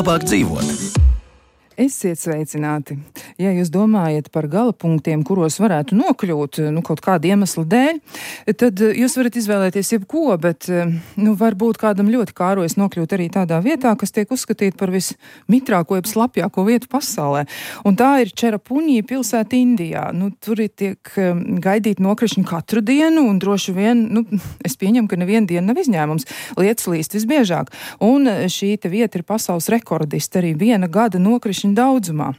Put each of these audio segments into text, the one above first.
labāk dzīvot. Esiet sveicināti. Ja jūs domājat par galapunktiem, kuros varētu nokļūt, kaut kāda iemesla dēļ, tad jūs varat izvēlēties jebko, bet, varbūt kādam ļoti kārojas nokļūt arī tādā vietā, kas tiek uzskatīta par vismitrāko, jeb slapjāko vietu pasaulē. Un tā ir Čerapuņī pilsēta Indijā. Tur tiek gaidīt nokrišņi katru dienu, un droši vien, es pieņemu, ka neviena diena nav izņēmums. Lietas līst visbiežāk. Un šī te vieta ir pasaules rekordista arī viena gada nokrišņa daudzumā.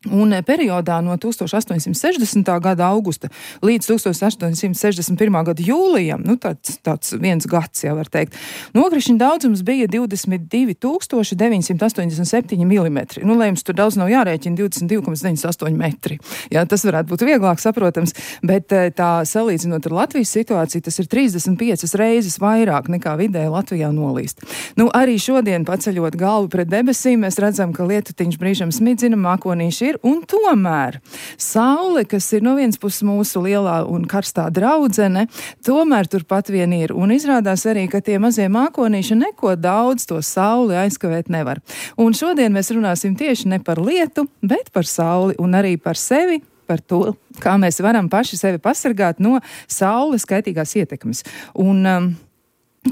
Un periodā no 1860. gada augusta līdz 1861. gada jūlijam, tāds viens gads jau var teikt, nokrišņu daudzums bija 22 987 mm. Lai jums tur daudz nav jārēķina, 22,98 metri. Jā, tas varētu būt vieglāk saprotams, bet tā salīdzinot ar Latvijas situāciju, tas ir 35 reizes vairāk nekā vidēji Latvijā nolīst. Arī šodien paceļot galvu pret debesīm, mēs redzam, ka lietutiņš brīžam smidzina, mākonīši ir. Un tomēr saule, kas ir no vienas puses mūsu lielā un karstā draudzene, tomēr turpat vien ir. Un izrādās arī, ka tie mazie mākonīši neko daudz to sauli aizkavēt nevar. Un šodien mēs runāsim tieši ne par lietu, bet par sauli un arī par sevi, par to, kā mēs varam paši sevi pasargāt no saules kaitīgās ietekmes. Un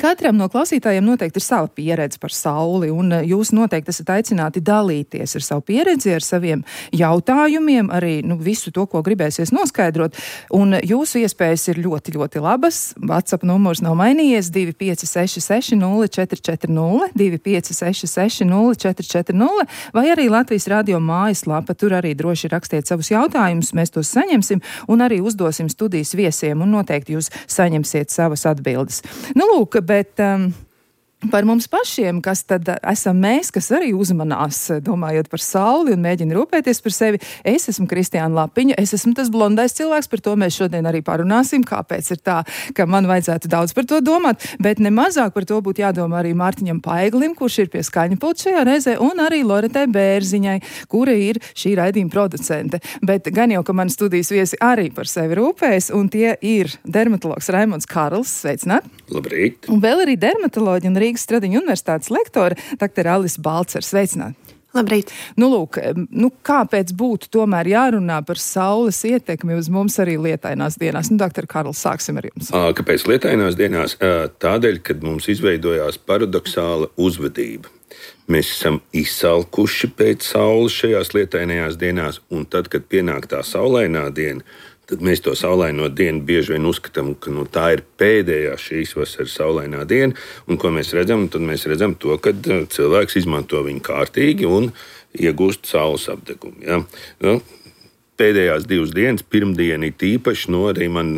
katram no klausītājiem noteikti ir sava pieredze par sauli, un jūs noteikti esat aicināti dalīties ar savu pieredzi, ar saviem jautājumiem, arī visu to, ko gribēsies noskaidrot. Un jūsu iespējas ir ļoti, ļoti labas. WhatsApp numurs nav mainījies 2566 0440, 2566 0440, vai arī Latvijas radio mājaslapa. Tur arī droši rakstiet savus jautājumus, mēs tos saņemsim un arī uzdosim studijas viesiem, un noteikti jūs saņemsiet savas atbildes. Bet par mums pašiem, kas tad esam mēs, kas arī uzmanās, domājot par sauli un mēģina rūpēties par sevi. Es esmu Kristiāna Lapiņa, es esmu tas blondais cilvēks, par to mēs šodien arī parunāsim, kāpēc ir tā, ka man vajadzētu daudz par to domāt, bet nemazāk par to būtu jādomā arī Mārtiņam Paiglim, kurš ir pie skaņa pulta šajā reizē, un arī Loretai Bērziņai, kura ir šī raidījuma producente. Bet gan jau, ka man studijas viesi arī par sevi rūpējas, un tie ir dermatologs Raimonds Karls, sveicināt. Labrīt. Un vēl arī dermatoloģi un Rīgas Stradiņu universitātes lektore dr. Alis Balcer. Sveicināt! Labrīt! Kāpēc būtu tomēr jārunā par saules ietekmi uz mums arī lietainās dienās? Dr. Karls, sāksim ar jums. Kāpēc lietainās dienās? Tādēļ, kad mums izveidojās paradoxāla uzvedība. Mēs esam izsalkuši pēc saules šajās lietainajās dienās, un tad, kad pienāk tā saulainā diena, tad mēs to saulaino dienu bieži vien uzskatām, ka tā ir pēdējā šīs vasaras saulainā diena. Un ko mēs redzam? Tad mēs redzam to, ka cilvēks izmanto viņu kārtīgi un iegūst saules apdegumu. Ja? Pēdējās 2 dienas, pirmdiena ir tīpaši, arī man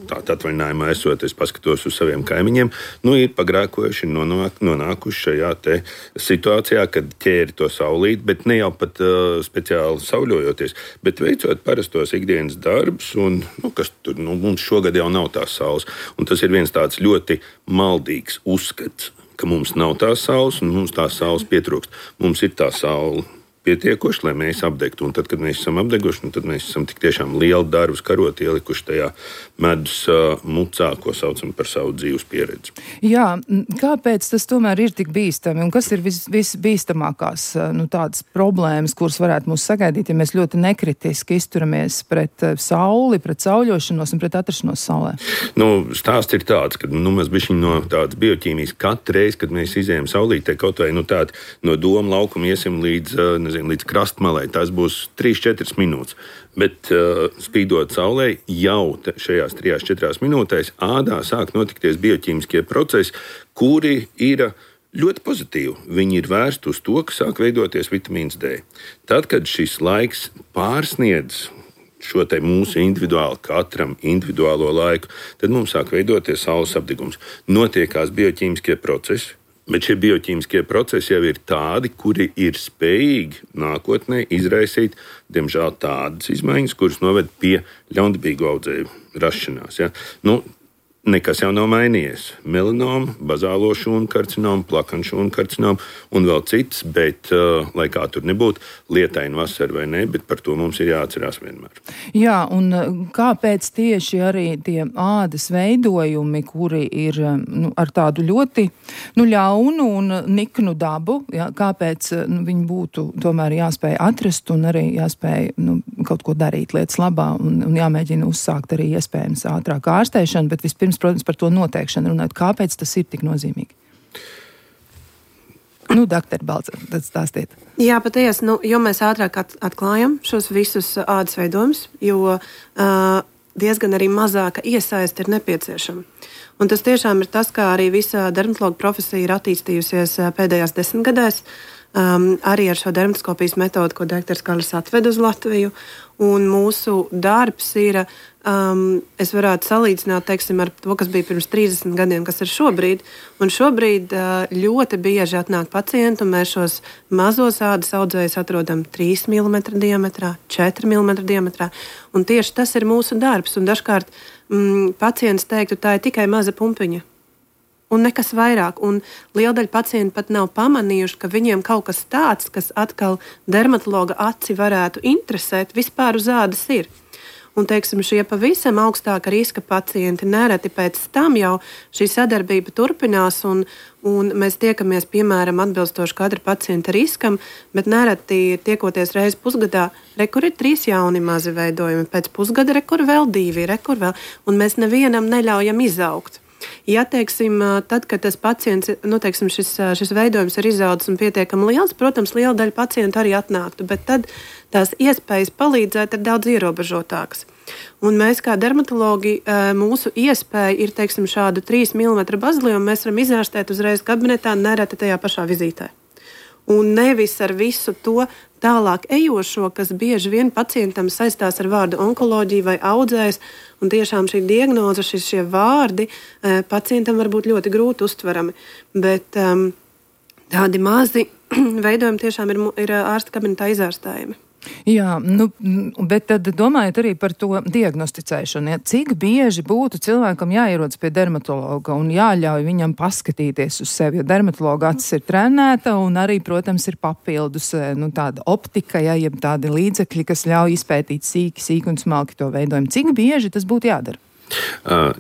tādā atvaļinājumā esot, es paskatos uz saviem kaimiņiem, ir pagrēkojuši un nonākuši šajā te situācijā, kad ķēri to saulīt, bet ne jau pat speciāli sauļojoties, bet veicot parastos ikdienas darbus, un kas tur, mums šogad jau nav tās saules. Un tas ir viens tāds ļoti maldīgs uzskats, ka mums nav tās saules, un mums tās saules pietrūkst. Mums ir tā saule pietiekoši, lai mēs apdegtu. Un tad, kad mēs esam apdeguši, tad mēs esam tik tiešām lielu darbu karoti ielikuši tajā medus mucā, ko saucam par savu dzīves pieredzi. Jā, kāpēc tas tomēr ir tik bīstami? Un kas ir visbīstamākās tādas problēmas, kuras varētu mūs sagaidīt, ja mēs ļoti nekritiski izturamies pret sauli, pret sauļošanos un pret atrašanos saulē? Stāsts ir tāds, ka mēs bišķiņ no tādas bioķīmijas katru reizi, kad mēs izējam saulītē, kaut vai tādi no doma laukuma iesim līdz krastmalai, tās būs 3-4 minūtes. Bet spīdot saulē, jau šajās 3-4 minūtēs ādā sāk notikties bioķīmiskie procesi, kuri ir ļoti pozitīvi. Viņi ir vērsti uz to, ka sāk veidoties vitamīns D. Tad, kad šis laiks pārsniedz šo te mūsu katram individuālo laiku, tad mums sāk veidoties saules apdegums. Notiekās bioķīmiskie procesi. Bet šie bioķīmiskie procesi jau ir tādi, kuri ir spējīgi nākotnē izraisīt, diemžēl, tādas izmaiņas, kuras noved pie ļaundabīgu audzēju rašanās. Ja? nekas jau nav mainījies. Melanoma, bazālo šūnu karcinoma, plakanu šūnu karcinoma un vēl cits, bet, lai kā tur nebūtu, lietaina vasara vai ne, bet par to mums ir jāatcerās vienmēr. Jā, un kāpēc tieši arī tie ādas veidojumi, kuri ir ar tādu ļoti ļaunu un niknu dabu, kāpēc viņi būtu tomēr jāspēj atrast un arī jāspēj kaut ko darīt lietas labā un jāmēģina uzsākt arī iespējams ātrāk ārstēšanu, bet vispirms, protams, par to noteikšanu runāt. Kāpēc tas ir tik nozīmīgi? Doktor Balcer, tad stāstiet. Jā, patiesi, jo mēs ātrāk atklājam šos visus ādas veidojumus, jo diezgan arī mazāka iesaiste ir nepieciešama. Un tas tiešām ir tas, kā arī visa dermatologa profesija ir attīstījusies pēdējās 10 gadēs, arī ar šo dermatoskopijas metodu, ko doktors Karls atved uz Latviju. Un mūsu darbs ir, es varētu salīdzināt, teiksim, ar to, kas bija pirms 30 gadiem, kas ir šobrīd. Un šobrīd ļoti bieži atnāk pacienti, un mēs šos mazos ādas audzējus atrodam 3 mm diametrā, 4 mm diametrā. Un tieši tas ir mūsu darbs. Un dažkārt pacients teiktu, tā ir tikai maza pumpiņa. Un nekas vairāk. Un liela daļa pacienti pat nav pamanījuši, ka viņiem kaut kas tāds, kas atkal dermatologa aci varētu interesēt, vispār uz ādas ir. Un, teiksim, šie pavisam augstāka riska pacienti nereti pēc tam jau šī sadarbība turpinās, un mēs tiekamies, piemēram, atbilstoši katra pacienta riskam, bet nereti tiekoties reizi pusgadā, rekur ir 3 jauni mazi veidojumi, pēc pusgada rekur vēl 2, rekur vēl, un mēs nevienam neļaujam izaugt. Ja, teiksim, tad, kad tas pacients, teiksim, šis veidojums ir izaudzis un pietiekami liels, protams, liela daļa pacientu arī atnāktu, bet tad tās iespējas palīdzēt ir daudz ierobežotākas. Un mēs kā dermatologi, mūsu iespēja ir, teiksim, šādu 3 mm baziliomu mēs varam izārstēt uzreiz kabinetā, nereti tajā pašā vizītē. Un nevis ar visu to tālāk ejošo, kas bieži vien pacientam saistās ar vārdu onkoloģija vai audzējs, un tiešām šī diagnoze, šie vārdi pacientam var būt ļoti grūti uztverami. Bet tādi mazi veidojumi tiešām ir ārsta kabinetā izārstējami. Jā, bet tad domājot arī par to diagnosticēšanu. Ja, cik bieži būtu cilvēkam jāierodas pie dermatologa un jāļauj viņam paskatīties uz sevi, jo dermatologa acis ir trenēta un arī, protams, ir papildus tāda optika, jeb tādi līdzekļi, kas ļauj izpētīt sīki un smalki to veidojumu. Cik bieži tas būtu jādara?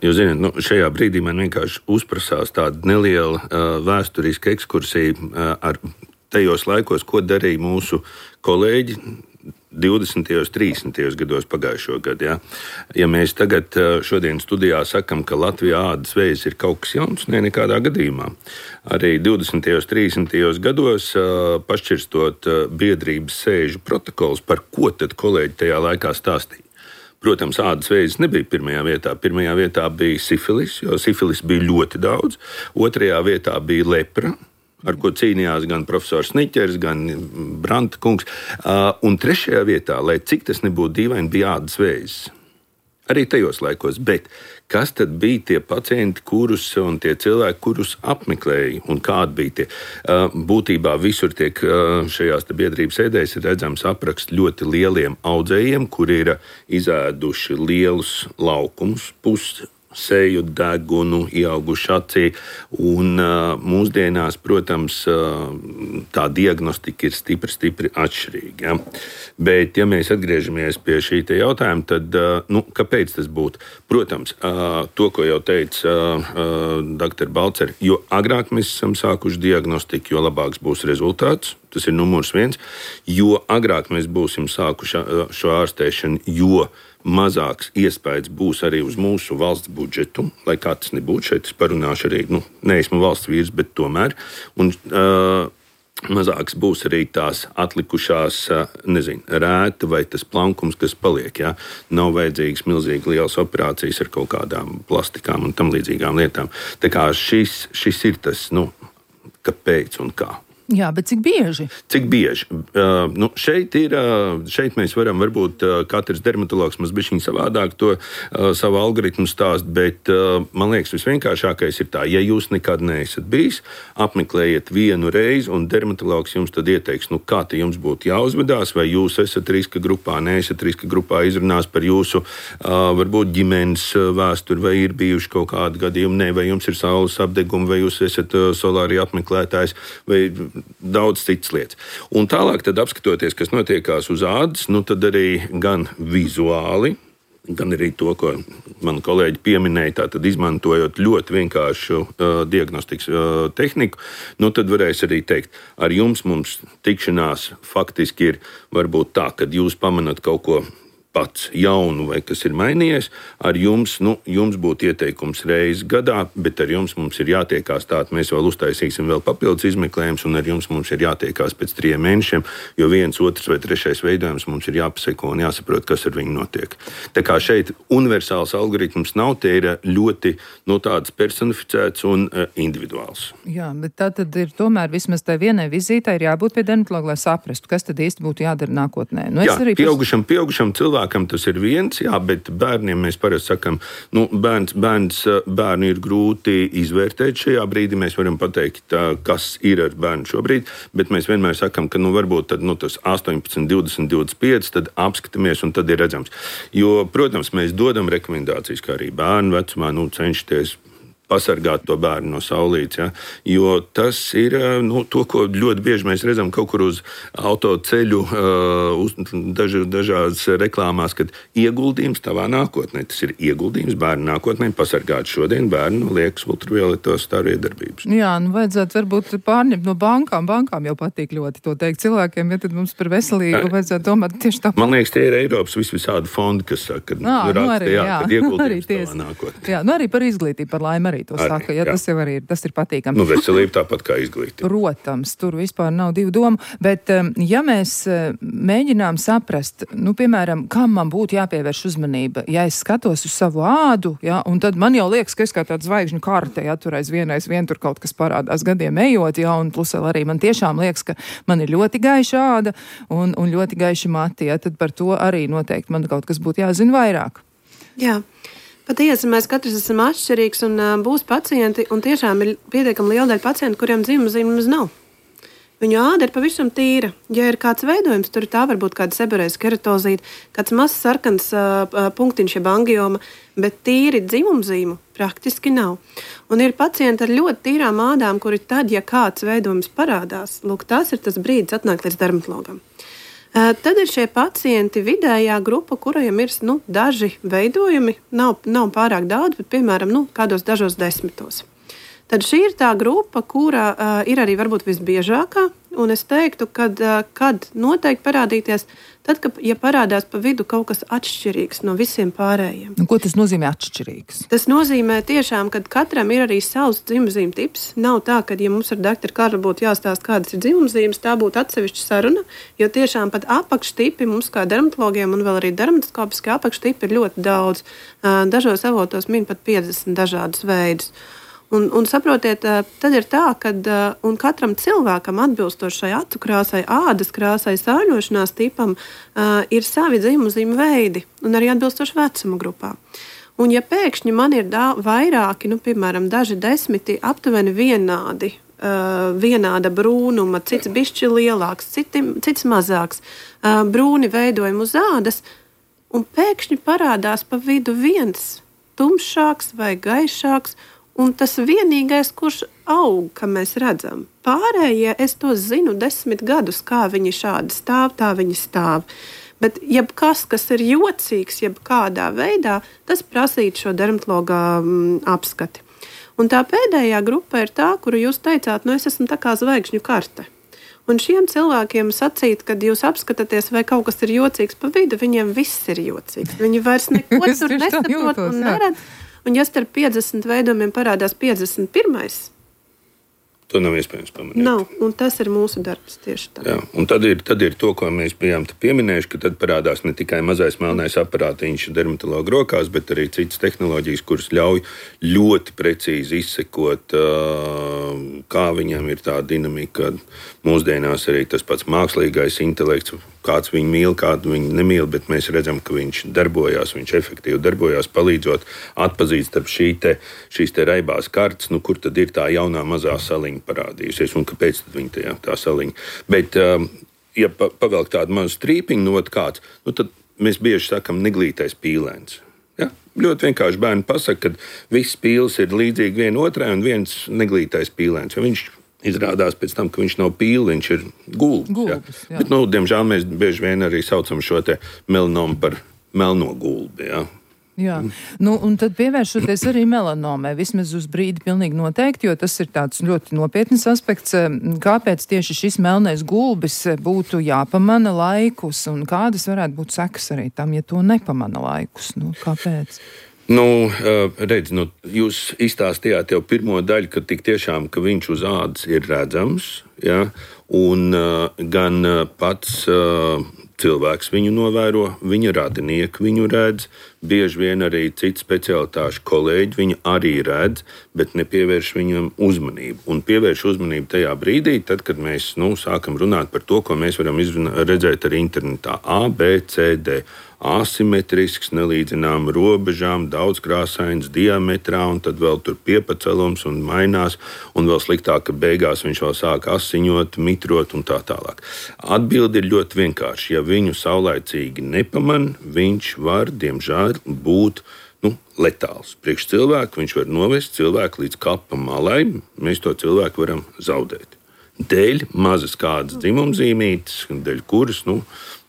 Jūs zināt, šajā brīdī man vienkārši uzprasās tāda neliela vēsturiska ekskursija ar tajos laikos, ko darīja mūsu kolēģi 20. un 30. gados pagājušo gadu. Ja? Ja mēs tagad šodien studijā sakam, ka Latvijā ādas vēzis ir kaut kas jauns, nekādā gadījumā. Arī 20. un 30. gados pašķirstot biedrības sēžu protokols, par ko tad kolēģi tajā laikā stāstīja. Protams, ādas vēzis nebija pirmajā vietā. Pirmajā vietā bija sifilis, jo sifilis bija ļoti daudz. Otrajā vietā bija lepra, ar ko cīnījās gan profesors Sniķers, gan Branta kungs. Un trešajā vietā, lai cik tas nebūtu dīvaini, bija ādas vēzis. Arī tajos laikos. Bet kas tad bija tie pacienti, kurus un tie cilvēki, kurus apmeklēja, un kādi bija tie? Būtībā visur tiek šajās biedrības sēdēs ir redzams apraksts ļoti lieliem audzējiem, kuri ir izēduši lielus laukumus, seju, degunu, ieauguši acī. Un mūsdienās, protams, tā diagnostika ir stipri atšķirīga. Ja? Bet, ja mēs atgriežamies pie šī jautājuma, tad kāpēc tas būtu? Protams, to, ko jau teica dr. Balcer, jo agrāk mēs esam sākuši diagnostiku, jo labāks būs rezultāts. Tas ir numurs 1. Jo agrāk mēs būsim sākuši šo ārstēšanu, jo mazāks iespējas būs arī uz mūsu valsts budžetu, lai kā tas nebūtu. Šeit es parunāšu arī, neesmu valsts vīrs, bet tomēr. Un mazāks būs arī tās atlikušās, rēta vai tas plankums, kas paliek. Ja? Nav vajadzīgas milzīgi lielas operācijas ar kaut kādām plastikām un tam līdzīgām lietām. Tā kā šis ir tas, kāpēc un kā. Jā, bet cik bieži? Cik bieži? Šeit mēs varam varbūt katrs dermatologs mazbišķiņ savādāk to savu algoritmu stāst, bet man liekas visvienkāršākais ir tā, ja jūs nekad neesat bijis, apmeklējiet vienu reizi un dermatologs jums tad ieteiks, kā te jums būtu jāuzvedās, vai jūs esat riska grupā, neesat riska grupā, izrunās par jūsu varbūt ģimenes vēsturi, vai ir bijuši kaut kādi gadījumi, vai jums ir saules apdegumi, vai jūs esat solāri apmeklētājs, vai daudz citas lietas. Un tālāk, tad apskatoties, kas notiekās uz ādas, tad arī gan vizuāli, gan arī to, ko mani kolēģi pieminēja, tātad izmantojot ļoti vienkāršu diagnostikas tehniku, tad varēs arī teikt, ar mums tikšanās faktiski ir varbūt tā, kad jūs pamanat kaut ko pats jaunu vai kas ir mainījies, ar jums būtu ieteikums reizi gadā, bet ar jums mums ir jātiekās tātad, mēs vēl uztaisīsim vēl papildus izmeklējumus, un ar jums mums ir jātiekās pēc 3 mēnešiem, jo 1, 2 vai 3 veidojums mums ir jāpaseko un jāsaprot, kas ar viņu notiek. Tā kā šeit universāls algoritms nav, tie ir ļoti tāds personificēts un individuāls. Jā, bet tā tad ir tomēr vismaz tai vienai vizītei ir jābūt pie dermatologa, lai saprastu, kas tad īsti būtu jādara nākotnē. Jā, pieaugušam cilvēkam tas ir viens, jā, bet bērniem mēs parasti sakam, bērnu ir grūti izvērtēt šajā brīdī. Mēs varam pateikt, kas ir ar bērnu šobrīd, bet mēs vienmēr sakam, ka varbūt tad, tas 18, 20, 25, tad apskatāmies un tad ir redzams. Jo, protams, mēs dodam rekomendācijas, kā arī bērnu vecumā, cenšaties pasargāt to bērnu no saulītes, ja? Jo tas ir to, ko ļoti bieži mēs redzam kaut kur uz autoceļu, dažās reklāmās, kad ieguldījums tavā nākotnē. Tas ir ieguldījums bērnu nākotnē, pasargāt šodien bērnu no liekas ultravioletos staru iedarbības. Jā, vajadzētu varbūt pārņemt no bankām. Bankām jau patīk ļoti to teikt cilvēkiem, ja tad mums par veselību vajadzētu domāt tieši tā. Man liekas, tie ir Eiropas visvisādi fondi, kas saka, kad ieguldījums tavā nākotnē. Jā, arī par izglītību, par laimi arī to saka, ja tas jau arī ir, tas ir patīkami. Veselība tāpat kā izglītība. Protams, tur vispār nav divu domu, bet ja mēs mēģinām saprast, piemēram, kam man būtu jāpievērš uzmanība, ja es skatos uz savu ādu, ja, un tad man jau liekas, ka es kā tāda zvaigžņu karte, ja tur aizvien tur kaut kas parādās gadiem ejot, ja, un plus vēl arī man tiešām liekas, ka man ir ļoti gaiša āda un ļoti gaiši mati, ja, tad par to arī noteikti man kaut kas būtu jāzina vairāk. Jā. Patiesi, mēs katrs esam atšķirīgs un būs pacienti, un tiešām ir pietiekami liela daļa pacientu, kuriem dzimumzīmes nav. Viņu āda ir pavisam tīra. Ja ir kāds veidojums, tur tā var būt kāda seborējas keratozīte, kāds mazs sarkans punktiņš, jeb angioma, bet tīri dzimumzīmu praktiski nav. Un ir pacienti ar ļoti tīrām ādām, kuri tad, ja kāds veidojums parādās, tas ir tas brīdis atnākt līdz dermatologam. Tad ir šie pacienti vidējā grupa, kuriem ir daži veidojumi, nav pārāk daudz, bet piemēram kādos dažos 10. Tad šī ir tā grupa, kura ir arī varbūt visbiežākā, un es teiktu, kad noteikti parādīties, tad, ja parādās pa vidu kaut kas atšķirīgs no visiem pārējiem. Ko tas nozīmē atšķirīgs? Tas nozīmē tiešām, ka katram ir arī savs dzimumzīmu tips. Nav tā, ka, ja mums ar doktoru Karlu būtu jāstāst, kādas ir dzimumzīmes, tā būtu atsevišķa saruna, jo tiešām pat apakštipi mums kā dermatologiem un vēl arī dermatoskopiskie apakštipi ir ļoti daudz. Dažos avotos min pat 50 dažādus veidus. Un saprotiet, tad ir tā, ka katram cilvēkam atbilstošai acu krāsai, ādas krāsai, sārņošanās tipam ir savi dzimumzīmu veidi un arī atbilstoši vecuma grupā. Un ja pēkšņi man ir vairāki, piemēram, daži 10 aptuveni vienāda brūnuma, cits bišķi lielāks, cits mazāks, brūni veidojumi uz ādas, un pēkšņi parādās pa vidu viens tumšāks vai gaišāks, un tas vienīgais, kurš aug, kā mēs redzam. Pārējie, es to zinu 10 gadus, kā viņi šādi stāv, tā viņi stāv. Bet jebkas, kas ir jocīgs, jebkādā veidā, tas prasītu šo dermatologa apskati. Un tā pēdējā grupa ir tā, kuru jūs teicāt, es esmu tā kā zvaigžņu karte. Un šiem cilvēkiem sacīt, kad jūs apskatāties, vai kaut kas ir jocīgs pa vidu, viņiem viss ir jocīgs. Viņi vairs neko tur nesaprot un neredz. Un ja starp 50 veidojumiem parādās 51, To nav iespējams pamanīt. Nav, un tas ir mūsu darbs tieši tā. Jā, un tad ir to, ko mēs bijām pieminējuši, ka tad parādās ne tikai mazais melnais aparātiņš dermatologa rokās, bet arī citas tehnoloģijas, kuras ļauj ļoti precīzi izsekot, kā viņam ir tā dinamika. Mūsdienās arī tas pats mākslīgais intelekts, kāds viņu mīl, kādu viņu nemīl, bet mēs redzam, ka viņš darbojās, viņš efektīvi darbojās, palīdzot atpazīt starp šīs raibās kartes, kur tad ir tā jaunā mazā saliņa parādījusies un kāpēc tad viņa tā saliņa. Bet, ja pavelk tādu mazu strīpiņu, kāds, tad mēs bieži sakam neglītais pīlēns. Ja? Ļoti vienkārši bērni pasaka, ka viss pīles ir līdzīgi vienotrai un viens neglītais pīlēns, jo viņš izrādās pēc tam, ka viņš nav pīle, viņš ir gulbis. Ja? Bet, diemžēl mēs bieži vien arī saucam šo te melanomu par melno gulbi. Ja? Jā, un tad pievēršoties arī melanomai, vismaz uz brīdi pilnīgi noteikti, jo tas ir tāds ļoti nopietnis aspekts. Kāpēc tieši šis melnais gulbis būtu jāpamana laikus, un kādas varētu būt sekas arī tam, ja to nepamana laikus? Kāpēc? Redz, jūs izstāstījāt jau pirmo daļu, ka tik tiešām, ka viņš uz ādas ir redzams, ja? Un gan pats cilvēks viņu novēro, viņa radinieki viņu redz, bieži vien arī citu specialitāšu kolēģi viņu arī redz, bet nepievērš viņam uzmanību. Un pievērš uzmanību tajā brīdī, tad, kad mēs sākam runāt par to, ko mēs varam redzēt arī internetā. A, B, C, D. Asimetrisks, nelīdzinām robežām, daudzkrāsains diametrā, un tad vēl tur piepacelums un mainās, un vēl sliktāk, ka beigās viņš vēl sāk asiņot, mitrot un tā tālāk. Atbilde ir ļoti vienkārši. Ja viņu saulaicīgi nepaman, viņš var, diemžēl, būt letāls. Priekš cilvēku viņš var novest cilvēku līdz kapa malai, mēs to cilvēku varam zaudēt. Dēļ mazas kādas dzimumzīmītes, dēļ kuras,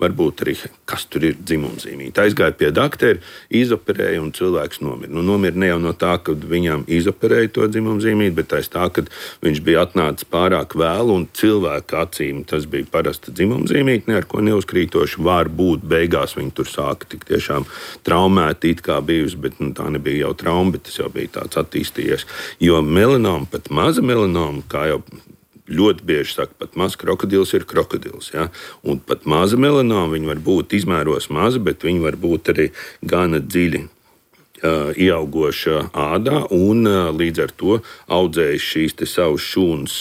varbūt arī, kas tur ir dzimumzīmīte. Aizgāja pie daktera, izoperēja un cilvēks nomira. Nomira ne jau no tā, ka viņam izoperēja to dzimumzīmīti, bet aiz tā, ka viņš bija atnācis pārāk vēlu un cilvēka acīm tas bija parasta dzimumzīmīte, ne ar ko neuzkrītoši. Varbūt beigās viņi tur sāka tik tiešām traumēti, it kā bijusi, bet tā nebija jau trauma, bet tas jau bija tāds attīstījies. Jo melanoma, pat maza melanoma, kā jau ļoti bieži saka, pat mazs krokodils ir krokodils. Ja? Un pat maza melanoma, viņi var būt izmēros mazi, bet viņi var būt arī gana dziļi ieaugoša ādā un līdz ar to audzējis šīs te savas šūnas,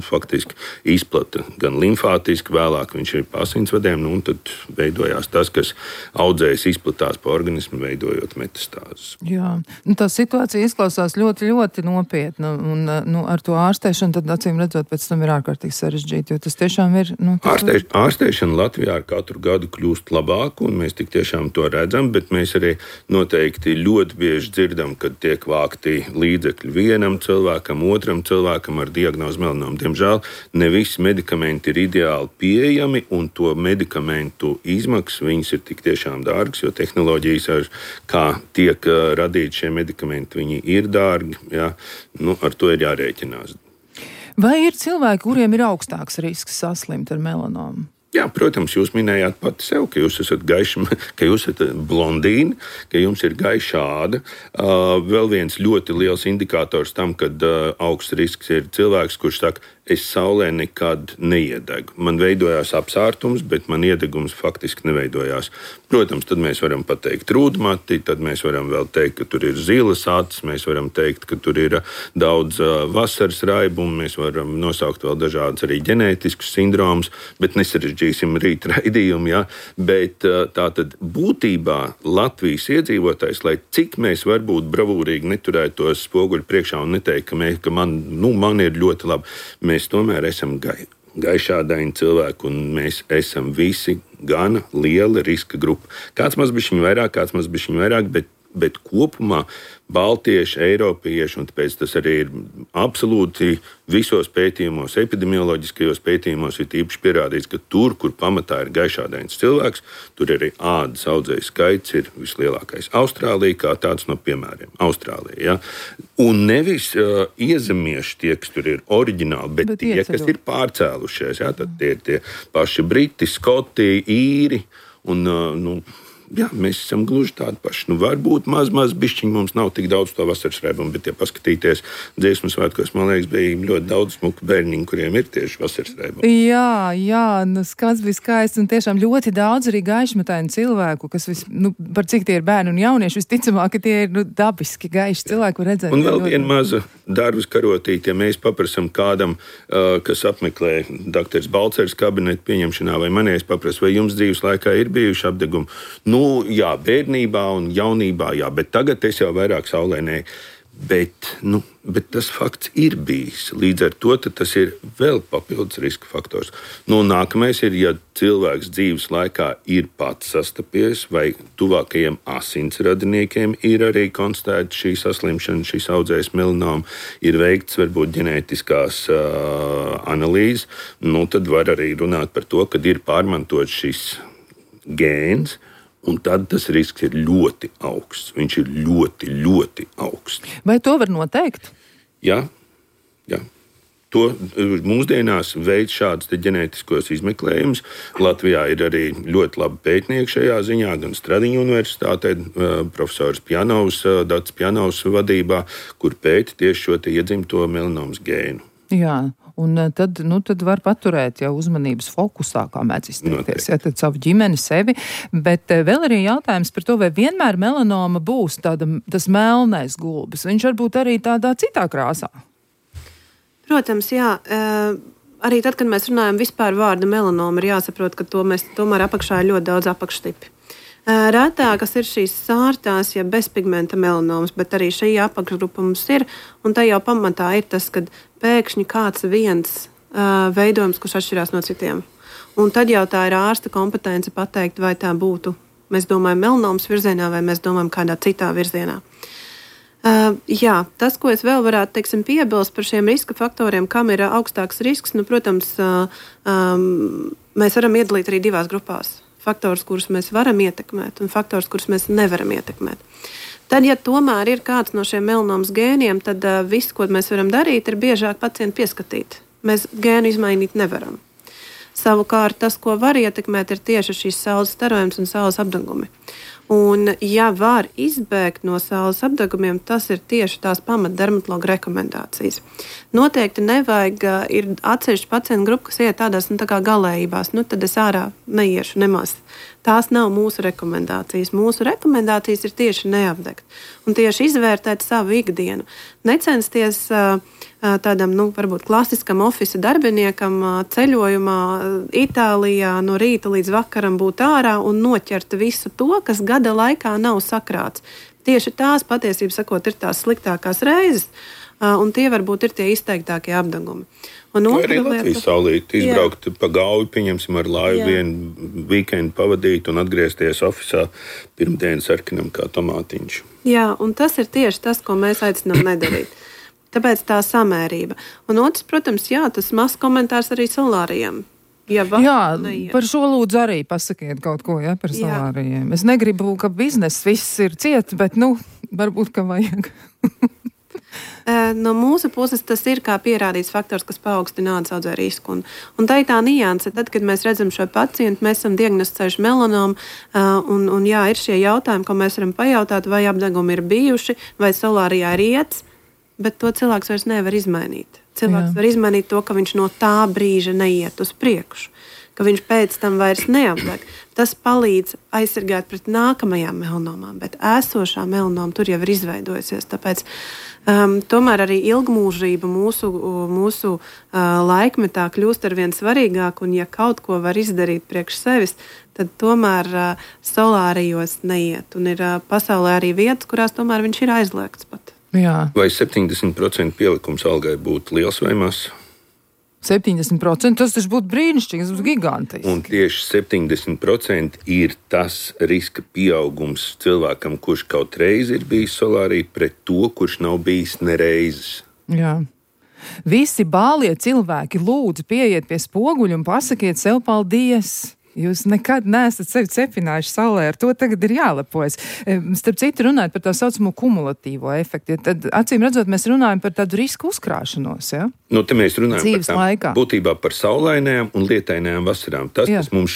faktiski izplata gan limfātiski, vēlāk viņš ir pa asinsvadiem, un tad veidojās tas, kas audzējis izplatās pa organismu, veidojot metastāzes. Jā, tā situācija izklausās ļoti, ļoti nopietna, un ar to ārstēšanu tad acīm redzot pēc tam ir ārkārtīgi sarežģīti, jo tas tiešām ir... Ārstēšana Latvijā ar katru gadu kļūst labāk, un mēs tik tiešām to redzam, bet mēs arī noteikti ļoti bieži dzirdam, kad tiek vākti līdzekļi vienam cilvēkam, otram cilvēkam ar diagnozi melanoma. Diemžēl ne visi medikamenti ir ideāli pieejami, un to medikamentu izmaksas viņas ir tik tiešām dārgas, jo tehnoloģijas, kā tiek radīti šie medikamenti, viņi ir dārgi. Ja? Ar to ir jārēķinās. Vai ir cilvēki, kuriem ir augstāks risks saslimt ar melanomu? Jā, protams, jūs minējāt pati sev, ka jūs esat gaiši, ka jūs esat blondīni, ka jums ir gaiša āda. Vēl viens ļoti liels indikators tam, kad augsts risks ir cilvēks, kurš saka, es saulē nekad neiedegu. Man veidojās apsārtums, bet man iedegums faktiski neveidojās. Protams, tad mēs varam pateikt rūdmati, tad mēs varam vēl teikt, ka tur ir zilas acis, mēs varam teikt, ka tur ir daudz vasaras raibumu, mēs varam nosaukt vēl dažādas arī ģenētiskus sindromus, bet nesarežģīsim rīt raidījumu, ja? Bet tātad būtībā Latvijas iedzīvotājs, lai cik mēs varbūt bravūrīgi neturētos spoguļu priekšā un neteikt, ka man ir ļoti labi, mēs tomēr esam gaišādaini cilvēki, un mēs esam visi gana liela riska grupa. Kāds mazbišķiņ vairāk, bet kopumā baltieši, eiropieši, un tāpēc tas arī ir absolūti visos pētījumos, epidemioloģiskajos pētījumos ir īpaši pierādīts, ka tur, kur pamatā ir gaišādains cilvēks, tur arī ādas audzēju skaits ir vislielākais. Austrālija kā tāds no piemēriem. Austrālija, ja? Un nevis iezemieši tie, kas tur ir oriģināli, bet tie, kas ir pārcēlušies. Ja? Tad tie ir tie paši briti, skoti, īri un jā, mēs esam gluži tādi paši. Varbūt maz bišķiņi mums nav tik daudz to vasaras raibumu, bet, ja paskatīties dziesmu svētkos, man liekas, bija ļoti daudz smuku bērniņu, kuriem ir tieši vasaras raibumi. Jā, skats bija skaists un tiešām ļoti daudz arī gaišmetaini cilvēku, kas par cik tie ir bērni un jaunieši, visticamāk, ka tie ir dabiski gaiši cilvēki, var redzēt. Un vēl viena maza darbas karotīte, ja mēs paprasam kādam, kas apmeklē doktora Balcers kabinetu pieņemšanā, vai manējais paprasa, vai jums dzīves laikā ir bijuši apdegumi? Jā, bērnībā un jaunībā, jā, bet tagad es jau vairāk saulē nē. Bet tas fakts ir bijis. Līdz ar to tas ir vēl papildus riska faktors. Nākamais ir, ja cilvēks dzīves laikā ir pats sastapies vai tuvākajiem asinsradiniekiem ir arī konstatēta šī saslimšana, šīs audzējas melanoma, ir veikts varbūt ģenētiskās analīzes, tad var arī runāt par to, kad ir pārmantots šis gēns. Un tad tas risks ir ļoti augsts. Viņš ir ļoti, ļoti augsts. Vai to var noteikt? Jā. To mūsdienās veids šādus ģenētiskos izmeklējumus. Latvijā ir arī ļoti labi pētnieki šajā ziņā, gan Stradiņu universitātē, profesors Pjanovs, Dats Pjanovs vadībā, kur pēta tieši šo iedzimto melanomas gēnu. Jā. Un tad var paturēt jau uzmanības fokusā, kā mēdz izteikties, tad savu ģimeni, sevi. Bet vēl arī jautājums par to, vai vienmēr melanoma būs tas melnais gulbis. Viņš varbūt arī tādā citā krāsā. Protams, jā. Arī tad, kad mēs runājam vispār vārdu melanoma, ir jāsaprot, ka mēs tomēr apakšā ir ļoti daudz apakštipi. Retākas ir šīs sārtās, ja bezpigmenta melanomas, bet arī šī apakšgrupa mums ir. Un tā jau pamatā ir tas, ka pēkšņi kāds viens veidojums, kurš atšķirās no citiem. Un tad jau tā ir ārsta kompetence pateikt, vai tā būtu, mēs domājam, melanomas virzienā, vai mēs domājam kādā citā virzienā. Jā, tas, ko es vēl varētu piebilst par šiem riska faktoriem, kam ir augstāks risks, protams, mēs varam iedalīt arī divās grupās. Faktors, kurus mēs varam ietekmēt, un faktors, kurus mēs nevaram ietekmēt. Tad, ja tomēr ir kāds no šiem melanomas gēniem, tad viss, ko mēs varam darīt, ir biežāk pacientu pieskatīt. Mēs gēnu izmainīt nevaram. Savukārt, tas, ko var ietekmēt, ir tieši šīs saules starojums un saules apdegumi. Un, ja var izbēgt no saules apdegumiem, tas ir tieši tās pamatdermatologa rekomendācijas. Noteikti nevajag, ir atsevišķi pacientu grupa, kas iet tādās tā kā galējībās, tad es ārā neiešu nemaz. Tās nav mūsu rekomendācijas. Mūsu rekomendācijas ir tieši neapdegt un tieši izvērtēt savu ikdienu. Necensties tādam, varbūt klasiskam ofisa darbiniekam ceļojumā Itālijā no rīta līdz vakaram būt ārā un noķert visu to, kas gada laikā nav sakrāts. Tieši tās patiesībā sakot ir tās sliktākās reizes, un tie varbūt ir tie izteiktākie apdegumi. Vai arī Latvijas saulīti izbraukt pa Gauju, pieņemsim ar laivu vienu weekendu pavadīt un atgriezties ofisā pirmdienas sarkanam kā tomātiņš. Jā, un tas ir tieši tas, ko mēs aicinām nedarīt. Tāpēc tā samērība. Un otrs, protams, tas mazs komentārs arī solārijiem. Par šo lūdzu arī pasakiet kaut ko, par solārijiem. Es negribu, ka bizness viss ir ciet, bet, varbūt, ka vajag. No mūsu puses tas ir kā pierādīts faktors, kas paaugstina ādas audzēju risku. Un tā ir tā nianse. Tad, kad mēs redzam šo pacientu, mēs esam diagnosticējuši melanomu, un ir šie jautājumi, ko mēs varam pajautāt, vai apdegumi ir bijuši, vai solārijā ir iets, bet to cilvēks vairs nevar izmainīt. Cilvēks var izmainīt to, ka viņš no tā brīža neiet uz priekšu, ka viņš pēc tam vairs neapdeg. Tas palīdz aizsargāt pret nākamajām melanomām, bet esošā melanoma tur jau ir izveidojusies. Tāpēc tomēr arī ilgmūžība mūsu laikmetā kļūst arvien svarīgāk, un ja kaut ko var izdarīt priekš sevis, tad tomēr solārijos neiet. Un ir pasaulē arī vietas, kurās tomēr viņš ir aizliegts pat. Jā. Vai 70% pielikums algai būtu liels vai mazs? 70%, tas taču būtu brīnišķīgi, tas būtu gigantiski. Un tieši 70% ir tas riska pieaugums cilvēkam, kurš kaut reizi ir bijis solārī, pret to, kurš nav bijis nereizes. Jā. Visi bālie cilvēki lūdzu pieiet pie spoguļa un pasakiet sev paldies. Jūs nekad neesat sevi cepinājuši saulē, ar to tagad ir jālepojas. Starp citu, runājot par tā saucamo kumulatīvo efektu, tad acīm redzot, mēs runājam par tādu risku uzkrāšanos, ja? Te mēs runājam dzīves par laikā. Būtībā par saulainajām un lietainajām vasarām. Tas, kas mums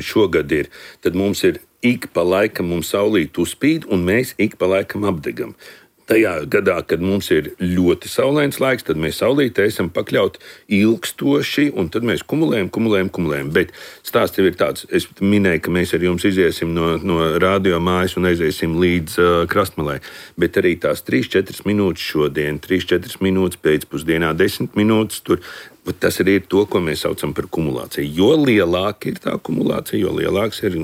šogad ir, tad mums ir ik pa laikam mums saulīt uzspīd, un mēs ik pa laikam apdegam. Tajā gadā, kad mums ir ļoti saulains laiks, tad mēs saulītē esam pakļauti ilgstoši, un tad mēs kumulējam. Bet stāsts jau ir tāds, es minēju, ka mēs ar jums iziesim no radio mājas un aiziesim līdz krastmalai. Bet arī tās 3-4 minūtes šodien, 3-4 minūtes pēcpusdienā, 10 minūtes tur. Tas arī ir to, ko mēs saucam par kumulāciju. Jo lielāka ir tā kumulācija, jo lielāks ir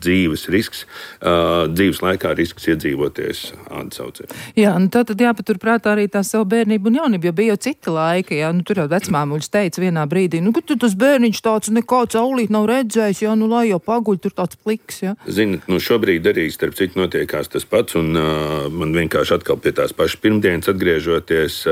dzīves laikā risks iedzīvoties ādas audzē. Jā, tad jāpaturprātā arī tā savu bērnību un jaunību, jo bija jau cita laika, jā, tur jau vecmāmuļs teica vienā brīdī, ka tas bērniņš tāds nekāds saulīt nav redzējis, jā, lai jau paguļ, tur tāds pliks, jā. Ziniet, šobrīd arī starp citu notiekās tas pats, un man vienkārši atkal pie tās pašas pirmdienas atgriežoties,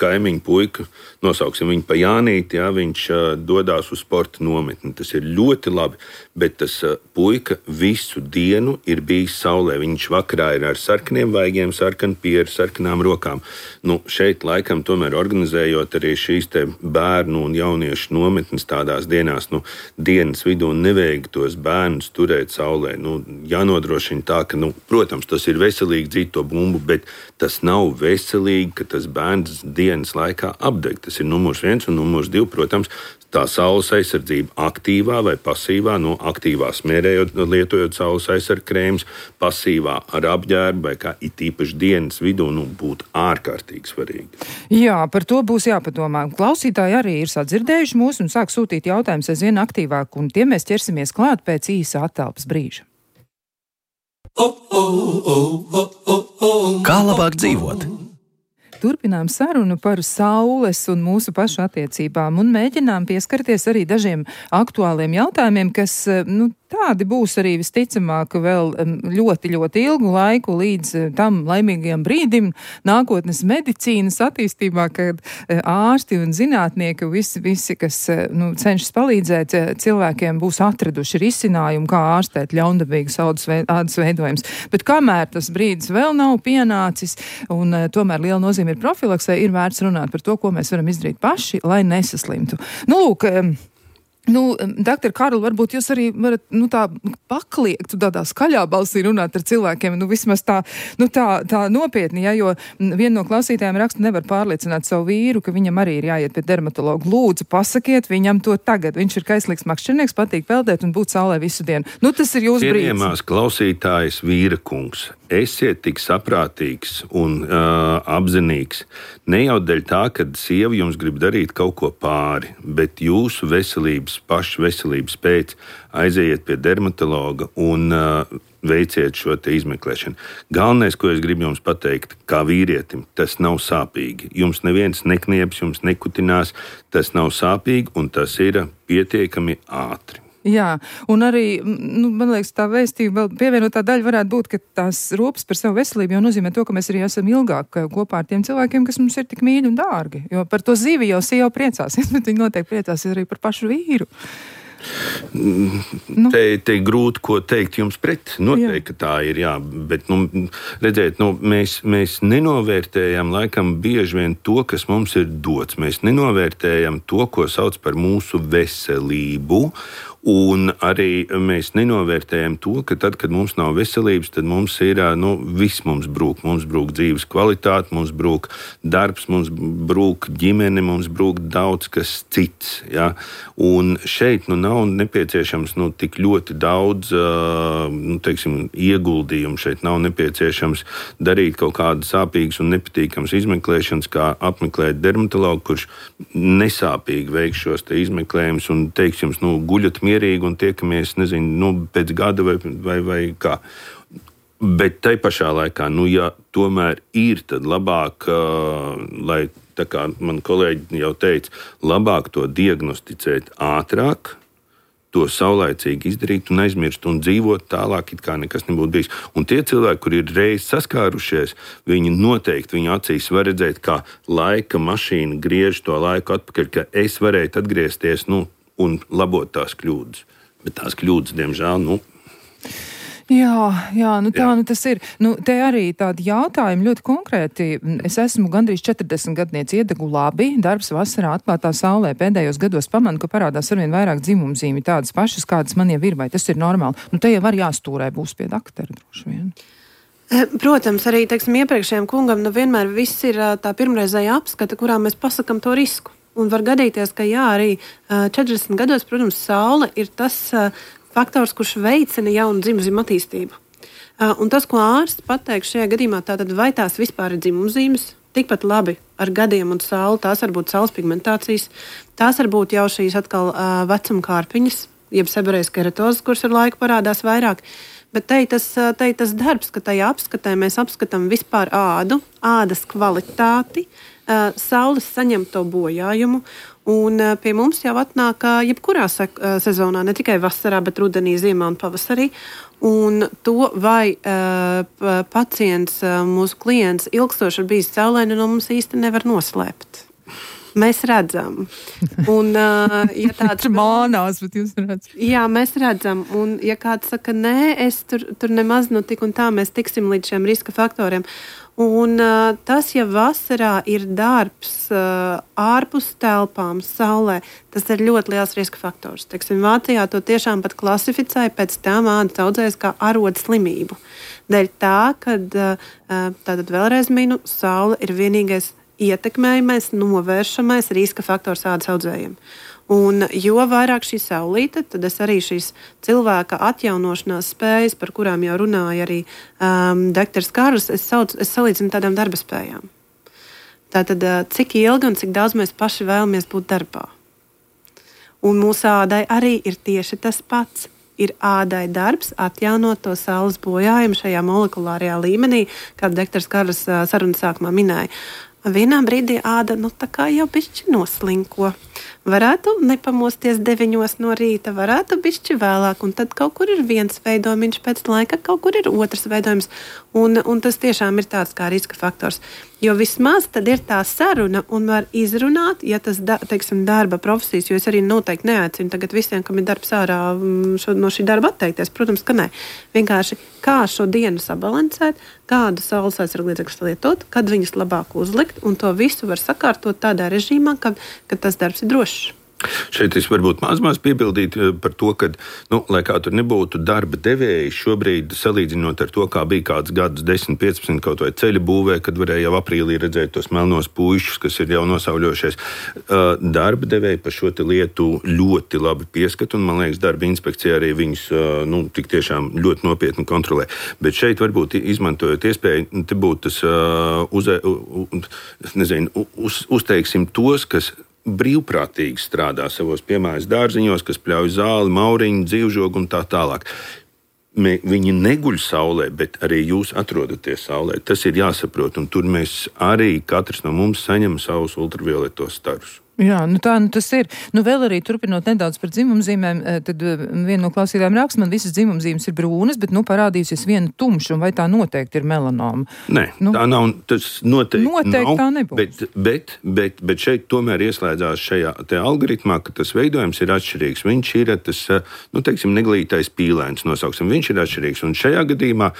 kaimiņu puiku, nosauksim viņu pa Jānīti, jā, viņš dodās uz sporta nometni. Tas ir ļoti labi, bet tas puika visu dienu ir bijis saulē. Viņš vakarā ir ar sarkaniem vaigiem, sarkanu pieru, sarkanām rokām. Šeit laikam tomēr organizējot arī šīs te bērnu un jauniešu nometnes tādās dienās, dienas vidū nevajag tos bērnus turēt saulē. Jānodrošina tā, ka, protams, tas ir veselīgi dzīt to bumbu, bet tas nav veselīgi, ka tas bērns dienas laikā apdeg. Tas ir numurs 1 un numurs 2, protams, tā saules aizsardzība aktīvā vai pasīvā, aktīvā smērējot, lietojot saules aizsardzību krēmus, pasīvā ar apģērbu vai kā it īpaši dienas vidū, būtu ārkārtīgi svarīgi. Jā, par to būs jāpadomā. Klausītāji arī ir sadzirdējuši mūs un sāk sūtīt jautājumus aizvien aktīvāk, un tiem mēs ķersimies klāt pēc īsa attelpas brīža. Kā labāk dzīvot? Turpinām sarunu par saules un mūsu pašu attiecībām un mēģinām pieskarties arī dažiem aktuāliem jautājumiem, kas, tādi būs arī visticamāk vēl ļoti, ļoti ilgu laiku līdz tam laimīgajam brīdim nākotnes medicīnas attīstībā, kad ārsti un zinātnieki visi kas cenšas palīdzēt cilvēkiem, būs atraduši risinājumu, kā ārstēt ļaundabīgas ādas veidojumus. Bet kamēr tas brīdis vēl nav pienācis un tomēr liela nozīme ir profilaksē, ir vērts runāt par to, ko mēs varam izdarīt paši, lai nesaslimtu. Lūk, doktor Karl, varbūt jūs arī varat, tā pakliegt, tādā skaļā balsī runāt ar cilvēkiem, vismaz tā nopietni, ja, jo viena no klausītājiem raksta, nevar pārliecināt savu vīru, ka viņam arī ir jāiet pie dermatologa. Lūdzu, pasakiet viņam to tagad. Viņš ir kaislīgs makšķernieks, patīk peldēt un būt saulē visu dienu. Tas ir jūsu brīdis. Cienījamās klausītājas vīra kungs, esiet tik saprātīgs un apzinīgs. Ne jau dēļ tā, kad sieva jums grib darīt kaut ko pāri, bet jūsu pašu veselības pēc aiziet pie dermatologa un veiciet šo te izmeklēšanu. Galvenais, ko es gribu jums pateikt, kā vīrietim, tas nav sāpīgi. Jums neviens neknieps, jums nekutinās, tas nav sāpīgi un tas ir pietiekami ātri. Jā, un arī, man liekas, tā vēstība vēl pievienotā daļa varētu būt, ka tās rūpes par savu veselību jau nozīmē to, ka mēs arī esam ilgāk kopā ar tiem cilvēkiem, kas mums ir tik mīļi un dārgi. Jo par to zivi jau sieva priecāsies, bet viņi noteikti priecāsies arī par pašu vīru. Te grūti ko teikt jums pret. Noteikti, ka tā ir, jā. Bet, redziet, mēs nenovērtējam laikam bieži vien to, kas mums ir dots. Mēs nenovērtējam to, ko sauc par mūsu veselību. Un arī mēs nenovērtējam to, ka tad, kad mums nav veselības, tad mums ir, viss mums brūk. Mums brūk dzīves kvalitāte, mums brūk darbs, mums brūk ģimene, mums brūk daudz kas cits. Ja? Un šeit nav nepieciešams tik ļoti daudz ieguldījumu. Šeit nav nepieciešams darīt kaut kādas sāpīgas un nepatīkamas izmeklēšanas, kā apmeklēt dermatologu, kurš nesāpīgi veiks šos te izmeklējumus un teiks jums, guļat mierīgi un tiekamies, pēc gada vai kā. Bet tai pašā laikā, ja tomēr ir, tad labāk, lai, tā kā man kolēģi jau teica, labāk to diagnosticēt ātrāk, to saulaicīgi izdarīt un aizmirst un dzīvot tālāk, it kā nekas nebūtu bijis. Un tie cilvēki, kuri ir reiz saskārušies, viņi noteikti viņu acīs var redzēt, kā laika mašīna griež to laiku atpakaļ, ka es varēju atgriezties, un labot tās kļūdas. Bet tās kļūdas, diemžēl, Jā, tas ir. Te arī tādi jautājumi ļoti konkrēti. Es esmu gandrīz 40 gadnieci, iedegu labi, darbs vasarā atklātā saulē. Pēdējos gados pamanu, ka parādās arvien vairāk dzimumzīmi, tādas pašas, kādas man jau ir, vai tas ir normāli. Te jau var jāstūrē būs pie daktera droši vien. Protams, arī, iepriekšējiem kungam vienmēr viss ir tā pirmreizēja apskata, kurā mēs pasakam to risku. Un var gadīties, ka arī 40 gados, protams, saule ir tas faktors, kurš veicina jaunu dzimumzīmu attīstību. Un tas, ko ārsts pateiks šajā gadījumā, tātad vai tās vispār ir dzimumzīmes, tikpat labi ar gadiem un sauli, tās var būt saules pigmentācijas, tās var būt jau šīs atkal vecuma kārpiņas, jeb seborējas keratozes, kuras ar laiku parādās vairāk. Bet te tas darbs, ka tajā apskatē mēs apskatām vispār ādu, ādas kvalitāti, saules saņemto bojājumu. Un pie mums jau atnāk jebkurā sezonā, ne tikai vasarā, bet rudenī, ziemā un pavasarī. Un to, vai pacients, mūsu klients, ilgstoši ir bijis saulē, no mums īsti nevar noslēpt. Mēs redzam. Un, ja tāds mānās, bet jūs redzat. Jā, mēs redzam. Un, ja kāds saka, nē, es tur nemaz tik un tā, mēs tiksim līdz šiem riska faktoriem. Un tas, ja vasarā ir darbs ārpus telpām, saulē, tas ir ļoti liels riska faktors. Vācijā to tiešām pat klasificēja pēc tam ādas audzējas kā arodu slimību. Dēļ tā, kad tātad vēlreiz minu, saule ir vienīgais ietekmējamais, novēršamais riska faktors ādas audzējiem. Un jo vairāk šī saulīte, tad es arī šīs cilvēka atjaunošanās spējas, par kurām jau runāja arī doktors Kārlis, es salīdzinu tādām darba spējām. Tātad, cik ilgi un cik daudz mēs paši vēlamies būt darbā. Un mūsu ādai arī ir tieši tas pats. Ir ādai darbs atjaunot to saules bojājumu šajā molekulārajā līmenī, kā doktors Kārlis sarunas sākumā minēja. Vienā brīdī āda tā kā jau bišķi noslinko. Varētu nepamosties 9 no rīta, varētu bišķi vēlāk, un tad kaut kur ir viens veidojums pēc laika, kaut kur ir otrs veidojums, un tas tiešām ir tāds kā riska faktors. Jo vismaz tad ir tā saruna un var izrunāt, ja tas, darba profesijas, jo es arī noteikti neaicinu tagad visiem, kam ir darbs ārā no šī darba atteikties. Protams, ka nē. Vienkārši kā šo dienu sabalansēt, kādu saules aizsargu līdzekļus lietot, kad viņus labāk uzlikt, un to visu var sakārtot tādā režīmā, ka tas darbs ir drošs. Šeit es varbūt maz piebildītu par to, ka, lai kā tur nebūtu darba devēji, šobrīd salīdzinot ar to, kā bija kāds gadus 10, 15 kaut vai ceļa būvē, kad varēja jau aprīlī redzēt tos melnos puišus, kas ir jau nosauļojušies, darba devēji par šo lietu ļoti labi pieskat, un man liekas, darba inspekcija arī viņus tik tiešām ļoti nopietni kontrolē. Bet šeit varbūt izmantojot iespēju, te būtu tas, uzteiksim tos, kas brīvprātīgi strādā savos piemājas dārziņos, kas pļauj zāli, mauriņu, dzīvžogu un tā tālāk. Viņi neguļ saulē, bet arī jūs atrodaties saulē. Tas ir jāsaprot, un tur mēs arī katrs no mums saņem savus ultravioletos starus. Jā, tas ir. Vēl arī turpinot nedaudz par dzimumzīmēm, tad viena no klausītājiem raksta, man visas dzimumzīmes ir brūnas, bet parādījusies viena tumša, un vai tā noteikti ir melanoma? Nē, tā nav, tas noteikti nav, tā nebūs. Bet šeit tomēr ieslēdzās šajā te algoritmā, ka tas veidojums ir atšķirīgs. Viņš ir tas, neglītais pīlēns nosauksim, viņš ir atšķirīgs. Un šajā gadījumā,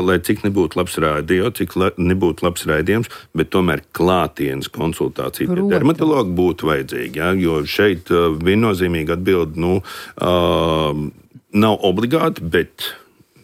lai cik nebūtu labs rādio, cik nebūtu labs raidījums, bet tomēr klātienes konsultācija pie dermatologa būtu vajadzīgi, ja? Jo šeit viennozīmīgi atbildi nav obligāti, bet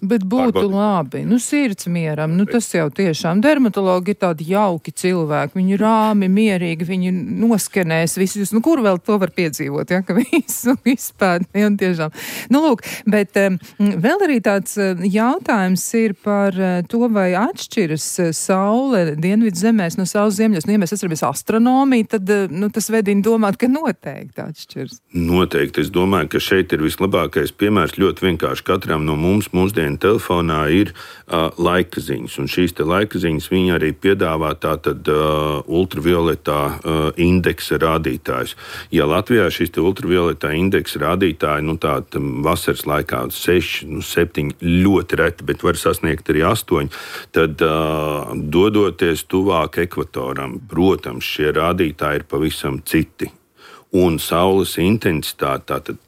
būtu labi. Sirds mieram. Tas jau tiešām dermatologi ir tādi jauki cilvēki. Viņi rāmi, mierīgi, viņi noskenēs visus. Kur vēl to var piedzīvot, ja? Ka visu izpēd. Ja, tiešām. Lūk, bet vēl arī tāds jautājums ir par to, vai atšķiras saule dienvidu zemēs no saules ziemeļos. Ja mēs atceramies astronomiju, tad tas vedina domāt, ka noteikti atšķiras. Noteikti. Es domāju, ka šeit ir vislabākais piemērs ļoti vienkārši katram no mums mūsdienu telefonā ir laika ziņas, un šīs te laika ziņas viņi arī piedāvā tātad ultravioletā indeksa rādītājus. Ja Latvijā šīs te ultravioletā indeksa rādītāji, tāda vasaras laikā 6, 7, ļoti reti, bet var sasniegt arī 8, tad dodoties tuvāk ekvatoram, protams, šie rādītāji ir pavisam citi. Un saules intensitāte, tātad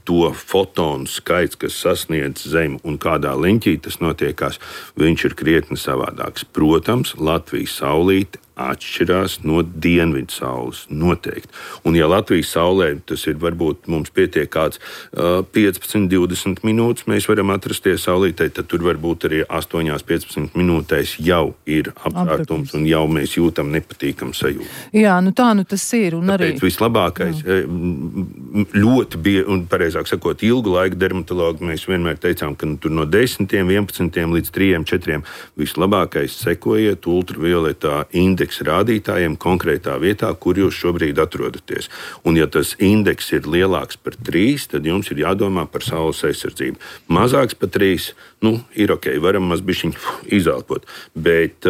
to fotonu skaits, kas sasniedz Zemi un kādā leņķī tas notiekās, viņš ir krietni savādāks. Protams, Latvijas saulīte atšķirās no dienvidu saules noteikti. Un ja Latvijas saulē tas ir varbūt mums pietiek kāds 15-20 minūtes, mēs varam atrasties saulītē, tad tur varbūt arī 8-15 minūtēs jau ir apkārtums un jau mēs jūtam nepatīkam sajūtu. Jā, nu tā nu tas ir. Un tāpēc arī vislabākais, ļoti bija, un pareizāk sakot, ilgu laiku dermatologi mēs vienmēr teicām, ka tur no 10, 11 līdz 3, 4 vislabākais sekojiet ultravioletā indeksa rādītājiem konkrētā vietā, kur jūs šobrīd atrodaties. Un ja tas indeks ir lielāks par 3, tad jums ir jādomā par saules aizsardzību. Mazāks par 3, ir ok, varam mazbišķiņ izelpot, bet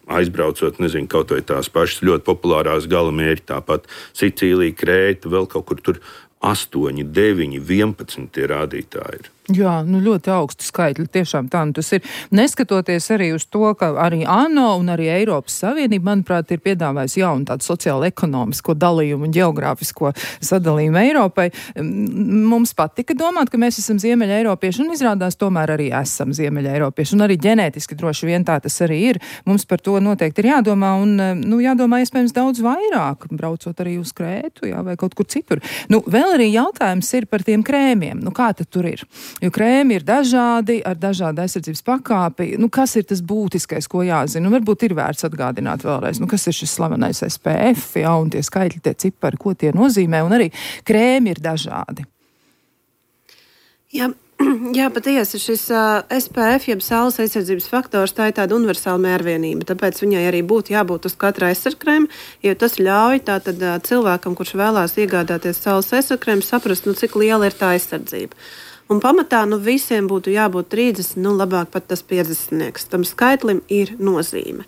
aizbraucot, nezinu, kaut vai tās pašas ļoti populārās galamērķi, tāpat Sicīlija, Krēta, vēl kaut kur tur 8, 9, 11 tie rādītāji ir. Jā, ļoti augstu skaitļi, tiešām tā tas ir. Neskatoties arī uz to, ka arī ANO un arī Eiropas Savienība, manuprāt, ir piedāvājusi jaunu tādu sociālo-ekonomisko dalījumu un geogrāfisko sadalījumu Eiropai. Mums patika domāt, ka mēs esam ziemeļa eiropieši, un izrādās tomēr arī esam ziemeļa eiropieši, un arī ģenētiski droši vien tā tas arī ir. Mums par to noteikti ir jādomā, un jādomā iespējams daudz vairāk, braucot arī uz Krētu, vai kaut kur citur. Vēl arī jautājums ir par tiem krēmiem. Kā tad tur ir? Jo krēmi ir dažādi, ar dažādu aizsardzības pakāpi. Kas ir tas būtiskais, ko jāzina? Varbūt ir vērts atgādināt vēlreiz, kas ir šis slavenais SPF, un tie skaitļi, tie cipari, ko tie nozīmē, un arī krēmi ir dažādi. Jā, patiesi šis SPF, jeb saules aizsardzības faktors, tā ir tāda universāla mērvienība. Tāpēc viņai arī būtu jābūt uz katra aizsargkrēma, jo tas ļauj tātad cilvēkam, kurš vēlās iegādāties saules aizsargkrēmu, saprast, cik liela ir tā aizsardzība. Un pamatā visiem būtu jābūt 30, labāk pat tas 50. Tam skaitlim ir nozīme.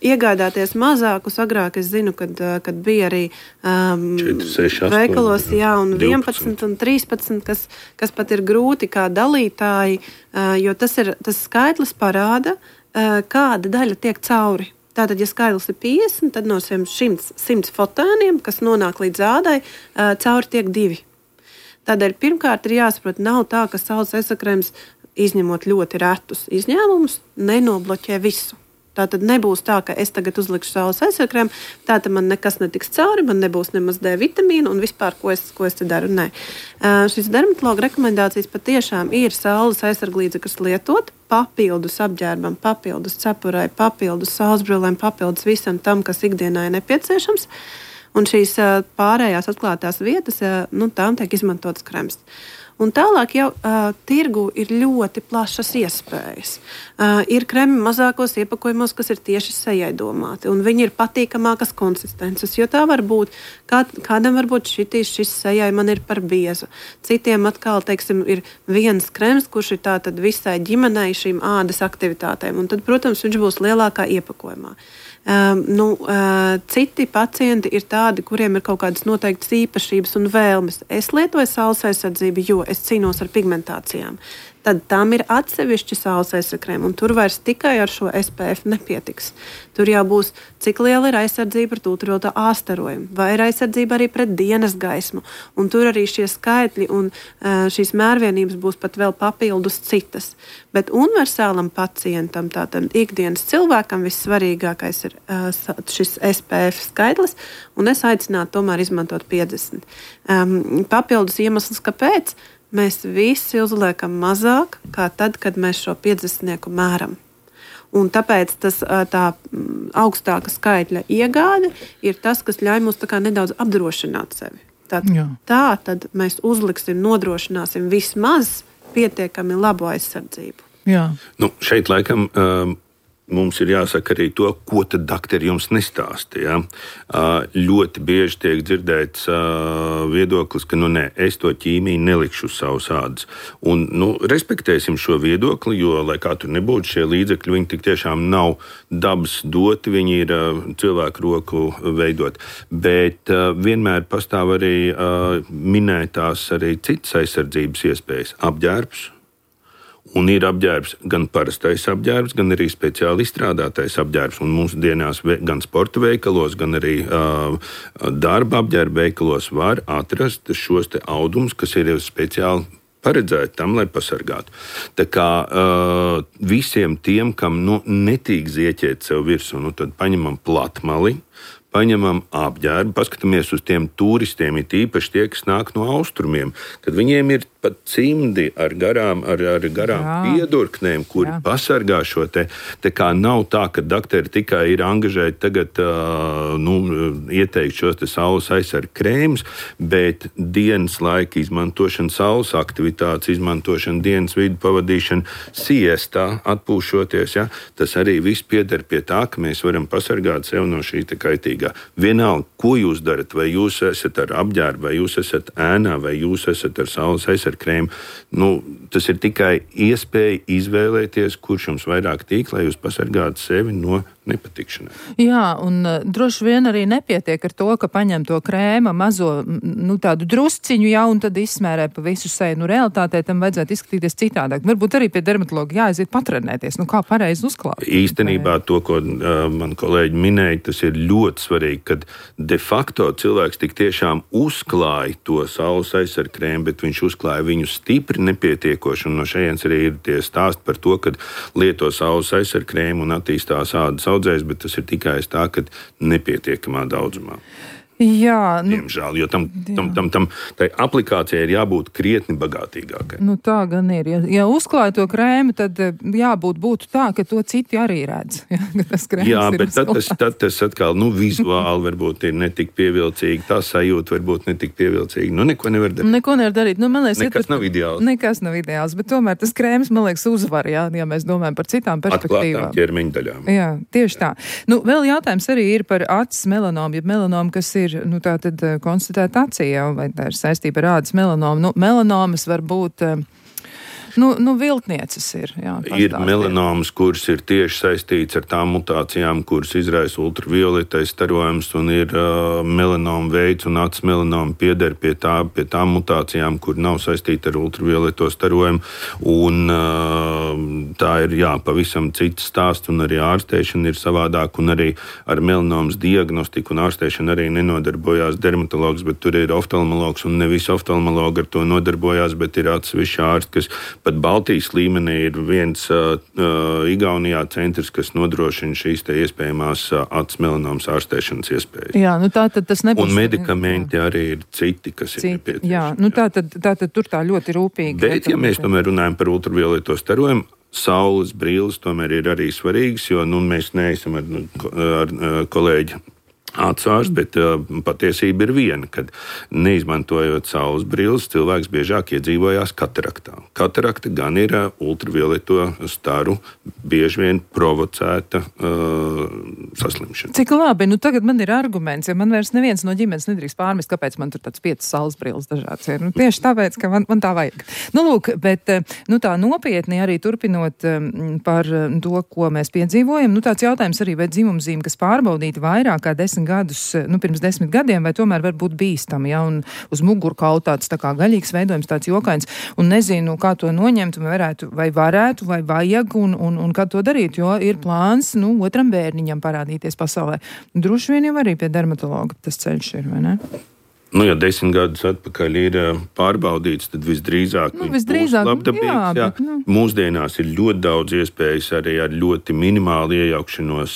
Iegādāties mazākus, agrāk es zinu, kad bija arī 4, 6, 8, veikalos, un 12. 11 un 13, kas pat ir grūti kā dalītāji, jo tas skaitlis parāda, kāda daļa tiek cauri. Tātad, ja skaitlis ir 50, tad no 100 fotēniem, kas nonāk līdz ādai, cauri tiek 2. Tādēļ pirmkārt ir jāsaprot, nav tā, ka saules aizsargkrēms, izņemot ļoti retus izņēmumus, nenobloķē visu. Tātad nebūs tā, ka es tagad uzlikšu saules aizsargkrēmu, tātad man nekas netiks cauri, man nebūs nemaz D vitamīnu un vispār, ko es te daru. Nē. Šis dermatologa rekomendācijas patiešām ir saules aizsarglīdzekļus lietot, papildus apģērbam, papildus cepurei, papildus saulesbrillēm, papildus visam tam, kas ikdienā ir nepieciešams. Un šīs pārējās atklātās vietas, tām tiek izmantotas krems. Un tālāk jau tirgu ir ļoti plašas iespējas. Ir kremi mazākos iepakojumos, kas ir tieši sejai domāti, un viņi ir patīkamākas konsistences, jo tā var būt, kādam varbūt šis sejai man ir par biezu. Citiem atkal, ir viens krems, kurš ir tātad visai ģimenei šīm ādas aktivitātēm, un tad, protams, viņš būs lielākā iepakojumā. Citi pacienti ir tādi, kuriem ir kaut kādas noteiktas īpašības un vēlmes. Es lietoju saules aizsardzību, jo es cīnos ar pigmentācijām. Tad tam ir atsevišķi saules aizsargkrēmi, un tur vairs tikai ar šo SPF nepietiks. Tur jau būs, cik liela ir aizsardzība pret ultravioletā A starojumu, vai ir aizsardzība arī pret dienas gaismu, un tur arī šie skaitļi un šīs mērvienības būs pat vēl papildus citas. Bet universālam pacientam, tātad ikdienas cilvēkam, vissvarīgākais ir šis SPF skaitlis, un es aicinātu tomēr izmantot 50. Papildus iemesls, kāpēc? Mēs visi uzliekam mazāk, kā tad, kad mēs šo 50 mēram. Un tāpēc tā augstāka skaitļa iegāde ir tas, kas ļauj mums nedaudz apdrošināt sevi. Tad mēs uzliksim, nodrošināsim vismaz pietiekami labu aizsardzību. Jā. Šeit laikam mums ir jāsaka arī to, ko tad doktori jums nestāsta. Ja? Ļoti bieži tiek dzirdēts viedoklis, ka es to ķīmiju nelikšu uz savas ādas. Un, respektēsim šo viedokli, jo, lai kā tur nebūtu, šie līdzekļi, viņi tik tiešām nav dabas doti, viņi ir cilvēku roku veidot. Bet vienmēr pastāv arī minētās arī citas aizsardzības iespējas, apģērbs Un ir apģērbs, gan parastais apģērbs, gan arī speciāli izstrādātais apģērbs. Un mūsdienās gan sporta veikalos, gan arī darba apģērba veikalos var atrast šos te audumus, kas ir speciāli paredzēti tam, lai pasargātu. Tā kā visiem tiem, kam netīk zieķēt sev virsū, tad paņemam platmali, paņemam apģērbu, paskatāmies uz tiem turistiem, it īpaši tie, kas nāk no austrumiem, kad viņiem ir pat cimdi ar garām piedurknēm, kuri pasargā šo te. Tā kā nav tā, ka dakteri tikai ir angažēti tagad ieteikt šos te saules aizsarga krēmus, bet dienas laika izmantošana, saules aktivitātes izmantošana, dienas vidu pavadīšana, siestā atpūšoties, ja, tas arī viss pieder pie tā, ka mēs varam pasargāt sev no šī te kaitīgā. Vienalga, ko jūs darat, vai jūs esat ar apģērbu, vai jūs esat ēnā, vai jūs esat ar saules aizsarga krēmu, tas ir tikai iespēja izvēlēties, kurš jums vairāk tīk, lai jūs pasargātu sevi no nepatikšanai. Jā, un droši vien arī nepietiek ar to, ka paņem to krēma mazo, tādu drusciņu, un tad izsmērē pa visu seju. Realitātē tam vajadzētu izskatīties citādāk. Varbūt arī pie dermatologa jāaiziet patrenēties. Kā pareizi uzklāt? Īstenībā to, ko man kolēģi minēja, tas ir ļoti svarīgi, kad de facto cilvēks tik tiešām uzklāja to saules aizsarga krēmu, bet viņš uzklāja viņu stipri nepietiekoši. Un no šejienes arī ir tie stāsti par to, ka lieto saules aizsarga krēmu un attīstās ādas audzējs, bet tas ir tikai tā, ka nepietiekamā daudzumā. Jā, diemžēl, jo tai aplikācijai ir jābūt krietni bagātīgākai. Tā gan ir. Ja uzklāja to krēmu, tad būtu tā, ka to citi arī redz. Jā, bet tad tas atkal, vizuāli varbūt ir netik pievilcīgi, tā sajūta varbūt netik pievilcīgi. Neko nevar darīt. Man liekas, nekas nav ideāls. Nekas nav ideāls, bet tomēr tas krēms, man liekas, uzvar, ja mēs domājam par citām perspektīvām. Atklātām ķermeņa daļām. Jā, tieši tā. Vēl jautājums arī ir par acis melanomu, ja melanomu, kas ir tātad konstatēta acī, vai tā ir saistība ar ādas melanomu. Melanomas var būt viltnieces ir. Jā, ir melanomas, kuras ir tieši saistīts ar tām mutācijām, kuras izraisa ultravioletais starojums, un ir melanoma veids, un acis melanoma pieder pie tām mutācijām, kur nav saistīta ar ultravioleto starojumu, un tā ir, pavisam cits stāsts, un arī ārstēšana ir savādāk, un arī ar melanomas diagnostiku un ārstēšanu arī nenodarbojās dermatologs, bet tur ir oftalmologs, un ne visi oftalmologi ar to nodarbojās, bet ir atsevišķi ārsti, kas pat Baltijas līmenī ir viens Igaunijā centrs, kas nodrošina šīs te iespējamās acis melanomas ārstēšanas iespējas. Jā, tātad tas nebūs. Un medikamenti arī ir citi, kas ir nepieciešami. Jā, tātad tur tā ļoti rūpīgi. Bet, ja mēs tomēr runājam par ultravioleto starojumu, saules brilles tomēr ir arī svarīgas, jo mēs neesam ar kolēģi atsvārst, bet patiesība ir viena, kad neizmantojot saules brilles, cilvēks biežāk iedzīvojās kataraktā. Katarakta gan ir ultravioleto staru bieži vien provocēta saslimšana. Cik labi, tagad man ir arguments, ja man vairs neviens no ģimenes nedrīkst pārmest, kāpēc man tur tāds 5 saules brilles dažāds ir. Tieši tāpēc, ka man tā vajag. Bet tā nopietni arī turpinot par to, ko mēs piedzīvojam, tāds jautājums arī, vai dzimumzīme, kas pārbaudīta vairāk kā 10 gadus, pirms 10 gadiem, vai tomēr var būt bīstami, un uz mugurkaula tāds tā kā gaļīgs veidojums, tāds jokains, un nezinu, kā to noņemt, vai varētu, vai vajag, un kā to darīt, jo ir plāns, otram bērniņam parādīties pasaulē. Droši vien jau arī pie dermatologa tas ceļš ir, vai ne? Ja 10 gadus atpakaļ ir pārbaudīts, tad visdrīzāk viņš būs labdabīgs. Jā. Mūsdienās ir ļoti daudz iespējas arī ar ļoti minimālu iejaukšanos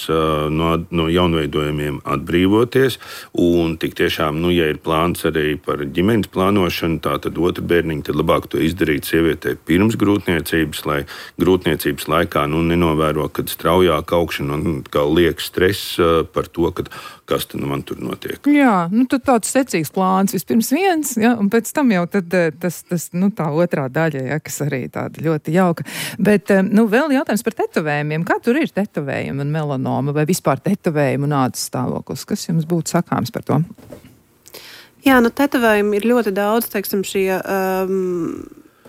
no jaunveidojumiem atbrīvoties. Un tik tiešām, ja ir plāns arī par ģimenes plānošanu, tātad otru bērniņu, tad labāk to izdarīt sievietei pirms grūtniecības, lai grūtniecības laikā nenovēro, kad straujāk augšana un kā liek stress par to, kas tad man tur notiek. Jā, tad tāds secīgs plāns vispirms viens, un pēc tam jau tad tas tā otrā daļa, kas arī tāda ļoti jauka. Bet, vēl jautājums par tetovējumiem. Kā tur ir tetovējumi un melanoma vai vispār tetovējumi un ādas stāvoklis? Kas jums būtu sakāms par to? Jā, tetovējumi ir ļoti daudz, teiksim, šie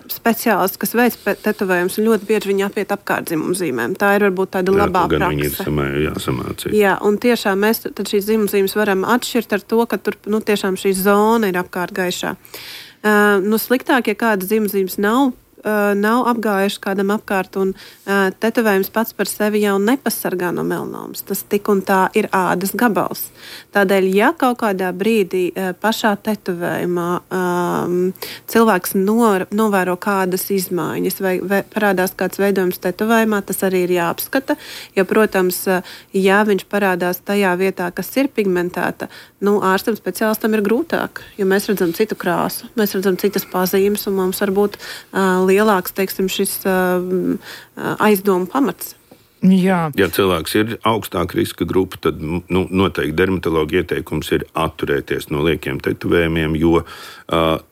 speciālisti, kas veic tetovējumus, un ļoti bieži viņi apiet apkārt dzimumzīmēm. Tā ir varbūt tāda labā prakse. Viņi ir jāsamācīt. Jā, un tiešām mēs tad šīs dzimumzīmes varam atšķirt ar to, ka tur tiešām šī zona ir apkārt gaišā. Sliktāk, ja kādas dzimumzīmes nav nav apgājuši kādam apkārt, un tetovējums pats par sevi jau nepasargā no melanomas. Tas tik un tā ir ādas gabals. Tādēļ, ja kaut kādā brīdī pašā tetovējumā cilvēks novēro kādas izmaiņas vai parādās kāds veidojums tetovējumā, tas arī ir jāapskata, jo, protams, ja viņš parādās tajā vietā, kas ir pigmentēta, ārstam speciālistam ir grūtāk, jo mēs redzam citu krāsu, mēs redzam citas pazīmes, un mums var būt lielāks, teiksim, šis aizdomu pamats. Jā. Ja cilvēks ir augstāka riska grupa, tad noteikti dermatologa ieteikums ir atturēties no liekiem tetovējumiem, jo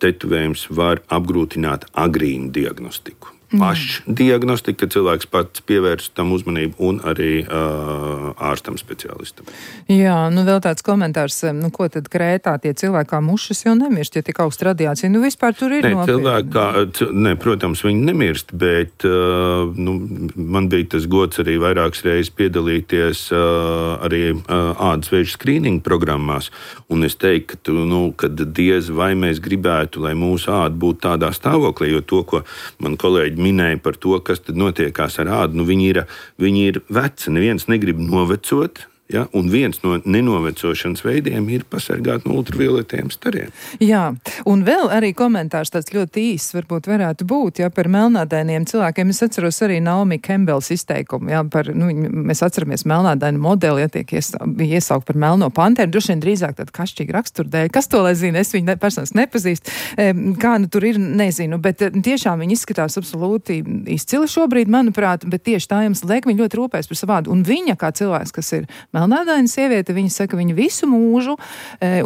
tetovējums var apgrūtināt agrīnu diagnostiku. Pašdiagnostika, ka cilvēks pats pievērš tam uzmanību, un arī ārstam speciālistam. Jā, vēl tāds komentārs, ko tad Krētā tie cilvēki kā mušas jau nemirst, ja tik augsta radiācija? Vispār tur ir nopietni. Protams, viņi nemirst, bet man bija tas gods arī vairākas reizes piedalīties arī ādas vēža skrīninga programmās, un es teiktu, ka diez vai mēs gribētu, lai mūsu āda būtu tādā stāvoklī, jo to, ko man kolēģi minēja par to, kas tad notiekās ar ādu, viņi ir veci, neviens negrib novecot. Ja? Un viens no nenovecošanas veidiem ir pasargāt no ultravioletiem stariem. Jā, un vēl arī komentārs tāds ļoti īsts varbūt varētu būt, par melnādainiem cilvēkiem. Es atceros arī Naomi Campbells izteikumu, mēs atceramies melnādainu modeli, bija iesaukt par melno panteru, droši vien drīzāk tāda kašķīga raksturdēļ. Kas to lai zina? Es viņu personiski nepazīstu. Kā tur ir, nezinu, bet tiešām viņi izskatās absolūti izcili šobrīd, manuprāt, bet tieši tā jums liek, viņi ļoti rūpēs par savu ādu. Un viņa kā cilvēks, kas ir melnādaina sieviete, viņa saka, viņa visu mūžu,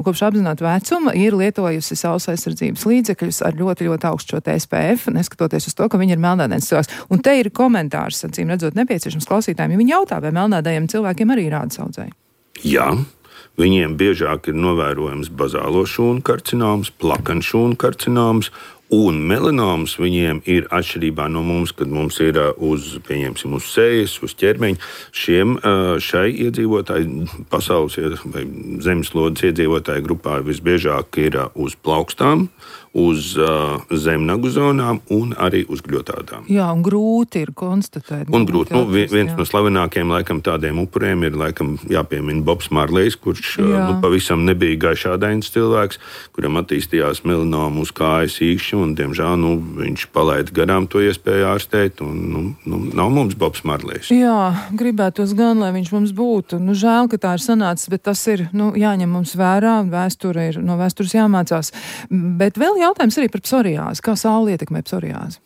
kopš apzināta vecuma, ir lietojusi saules aizsardzības līdzekļus ar ļoti, ļoti augstu šo SPF, neskatoties uz to, ka viņa ir melnādains cilvēks. Un te ir komentārs, acīm redzot, nepieciešams klausītājiem, ja viņi jautā, vai melnādajiem cilvēkiem arī ir ādas audzēji. Jā. Viņiem biežāk ir novērojams bazālo šūnu karcinoms, plakaņšūnu karcinoms, un melanomas viņiem ir atšķirībā no mums, kad mums ir uz sejas, uz ķermeņa. Šai iedzīvotāji, pasaules vai zemeslodes iedzīvotāju grupā visbiežāk ir uz plaukstām, uz zemnagu zonām un arī uz gļotādām. Jā, un grūti ir konstatēt. Un grūti. Viens no slavenākajiem laikam tādiem upuriem ir laikam jāpiemina Bobs Marlejs, kurš pavisam nebija gaišādains cilvēks, kuram attīstījās melanoma uz kājas īkšķi, un diemžēl viņš palaida garām to iespēju ārstēt, un nav mums Bobs Marlejs. Jā, gribētos gan, lai viņš mums būtu. Žēl, ka tā ir sanācis, bet tas ir jāņem mums vērā, no vēstures jāmācās. Bet vēl jautājums arī par psoriāzi. Kā saule ietekmē psoriāzi?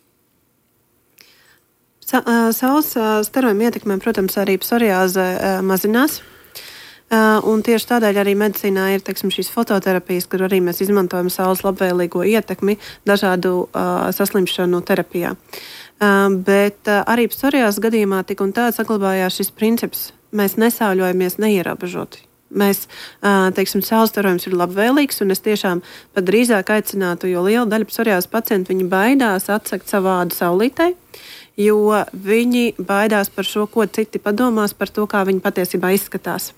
Saules starojuma ietekmē, protams, arī psoriāze mazinās. Un tieši tādēļ arī medicīnā ir šīs fototerapijas, kur arī mēs izmantojam saules labvēlīgo ietekmi dažādu saslimšanu terapijā. Bet arī psoriāzes gadījumā tik un tā saglabājās šis princips. Mēs nesauļojamies neierobežoti. Mēs, saules starojums ir labvēlīgs, un es tiešām pat drīzāk aicinātu, jo liela daļa psoriāzes pacientu viņi baidās atsegt savu ādu saulītei, jo viņi baidās par šo, ko citi padomās par to, kā viņi patiesībā izskatās.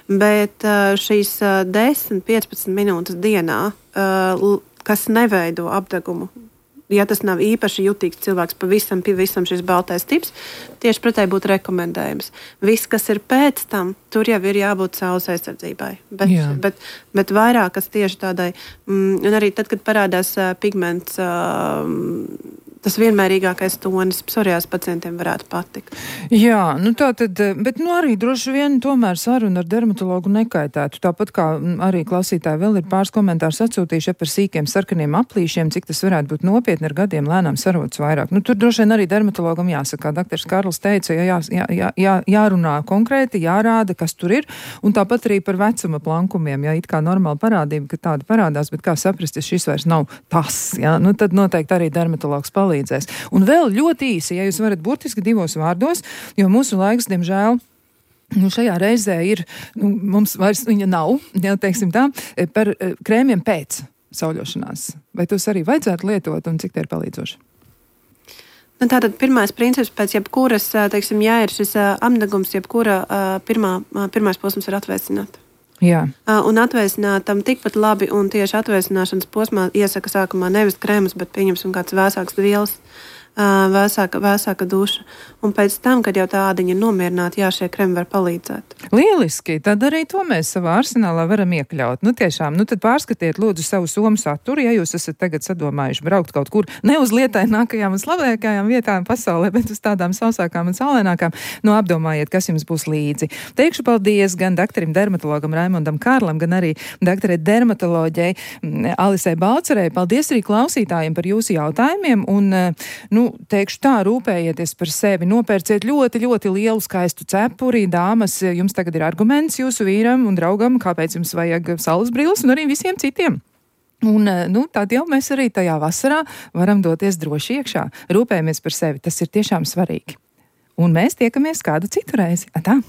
Bet šīs 10-15 minūtes dienā, kas neveido apdegumu, ja tas nav īpaši jutīgs cilvēks, pavisam šis baltais tips, tieši pretēji būtu rekomendējums. Viss, kas ir pēc tam, tur jau ir jābūt saules aizsardzībai. Bet vairāk, kas tieši tādai, un arī tad, kad parādās pigments, tas vienmērīgākais tonis psoriāzes pacientiem varētu patikt. Jā, tā tad, bet arī droši vien tomēr saruna ar dermatologu nekaitētu. Tāpat kā arī klausītāji vēl ir pāris komentārus atsūtījuši par sīkiem sarkaniem aplīšiem, cik tas varētu būt nopietni ar gadiem lēnām sarodas vairāk. Tur droši vien arī dermatologam jāsaka, kā dr. Karls teica, jārunā konkrēti, jārāda, kas tur ir, un tāpat arī par vecuma plankumiem, it kā normāla parādība, ka tāda parādās, bet kā saprast, ja šis vairs nav tas, tad noteikti arī dermatologs palīdzēs. Un vēl ļoti īsi, ja jūs varat burtiski 2 vārdos, jo mūsu laiks, diemžēl, šajā reizē ir, mums vairs viņa nav, teiksim tā, par krēmiem pēc sauļošanās. Vai tos arī vajadzētu lietot un cik tie ir palīdzoši? Tātad pirmais princips pēc jebkuras, ja ir šis apdegums, jebkura pirmais posms ir atvēsināt. Jā. Un atvēsinātam tikpat labi, un tieši atvēsināšanas posmā iesaka sākumā nevis kremas, bet pieņemsim kāds vēsāks vielas, vēsāka duša. Un pēc tam, kad jau tā ādiņa ir nomierināta, jā, šie kremi var palīdzēt. Lieliski, tad arī to mēs savā arsenālā varam iekļaut. Tiešām, tad pārskatiet lūdzu savu somu saturu, ja jūs esat tagad sadomājuši braukt kaut kur ne uz lietainākajām un slavenākajām vietām pasaulē, bet uz tādām sausākām un saulēnākām. Apdomājiet, kas jums būs līdzi. Teikšu paldies gan doktorim dermatologam Raimondam Kārlam, gan arī doktorai dermatoloģei Alisei Balcerei. Paldies arī klausītājiem par jūsu jautājumiem un, teikšu tā, rūpējieties par sevi, nopērciet ļoti, ļoti lielu skaistu cepuri, dāmas, jums tagad ir arguments jūsu vīram un draugam, kāpēc jums vajag saules brilles un arī visiem citiem. Un, tad jau mēs arī tajā vasarā varam doties droši iekšā. Rūpējamies par sevi, tas ir tiešām svarīgi. Un mēs tiekamies kādu citu reizi. Atā!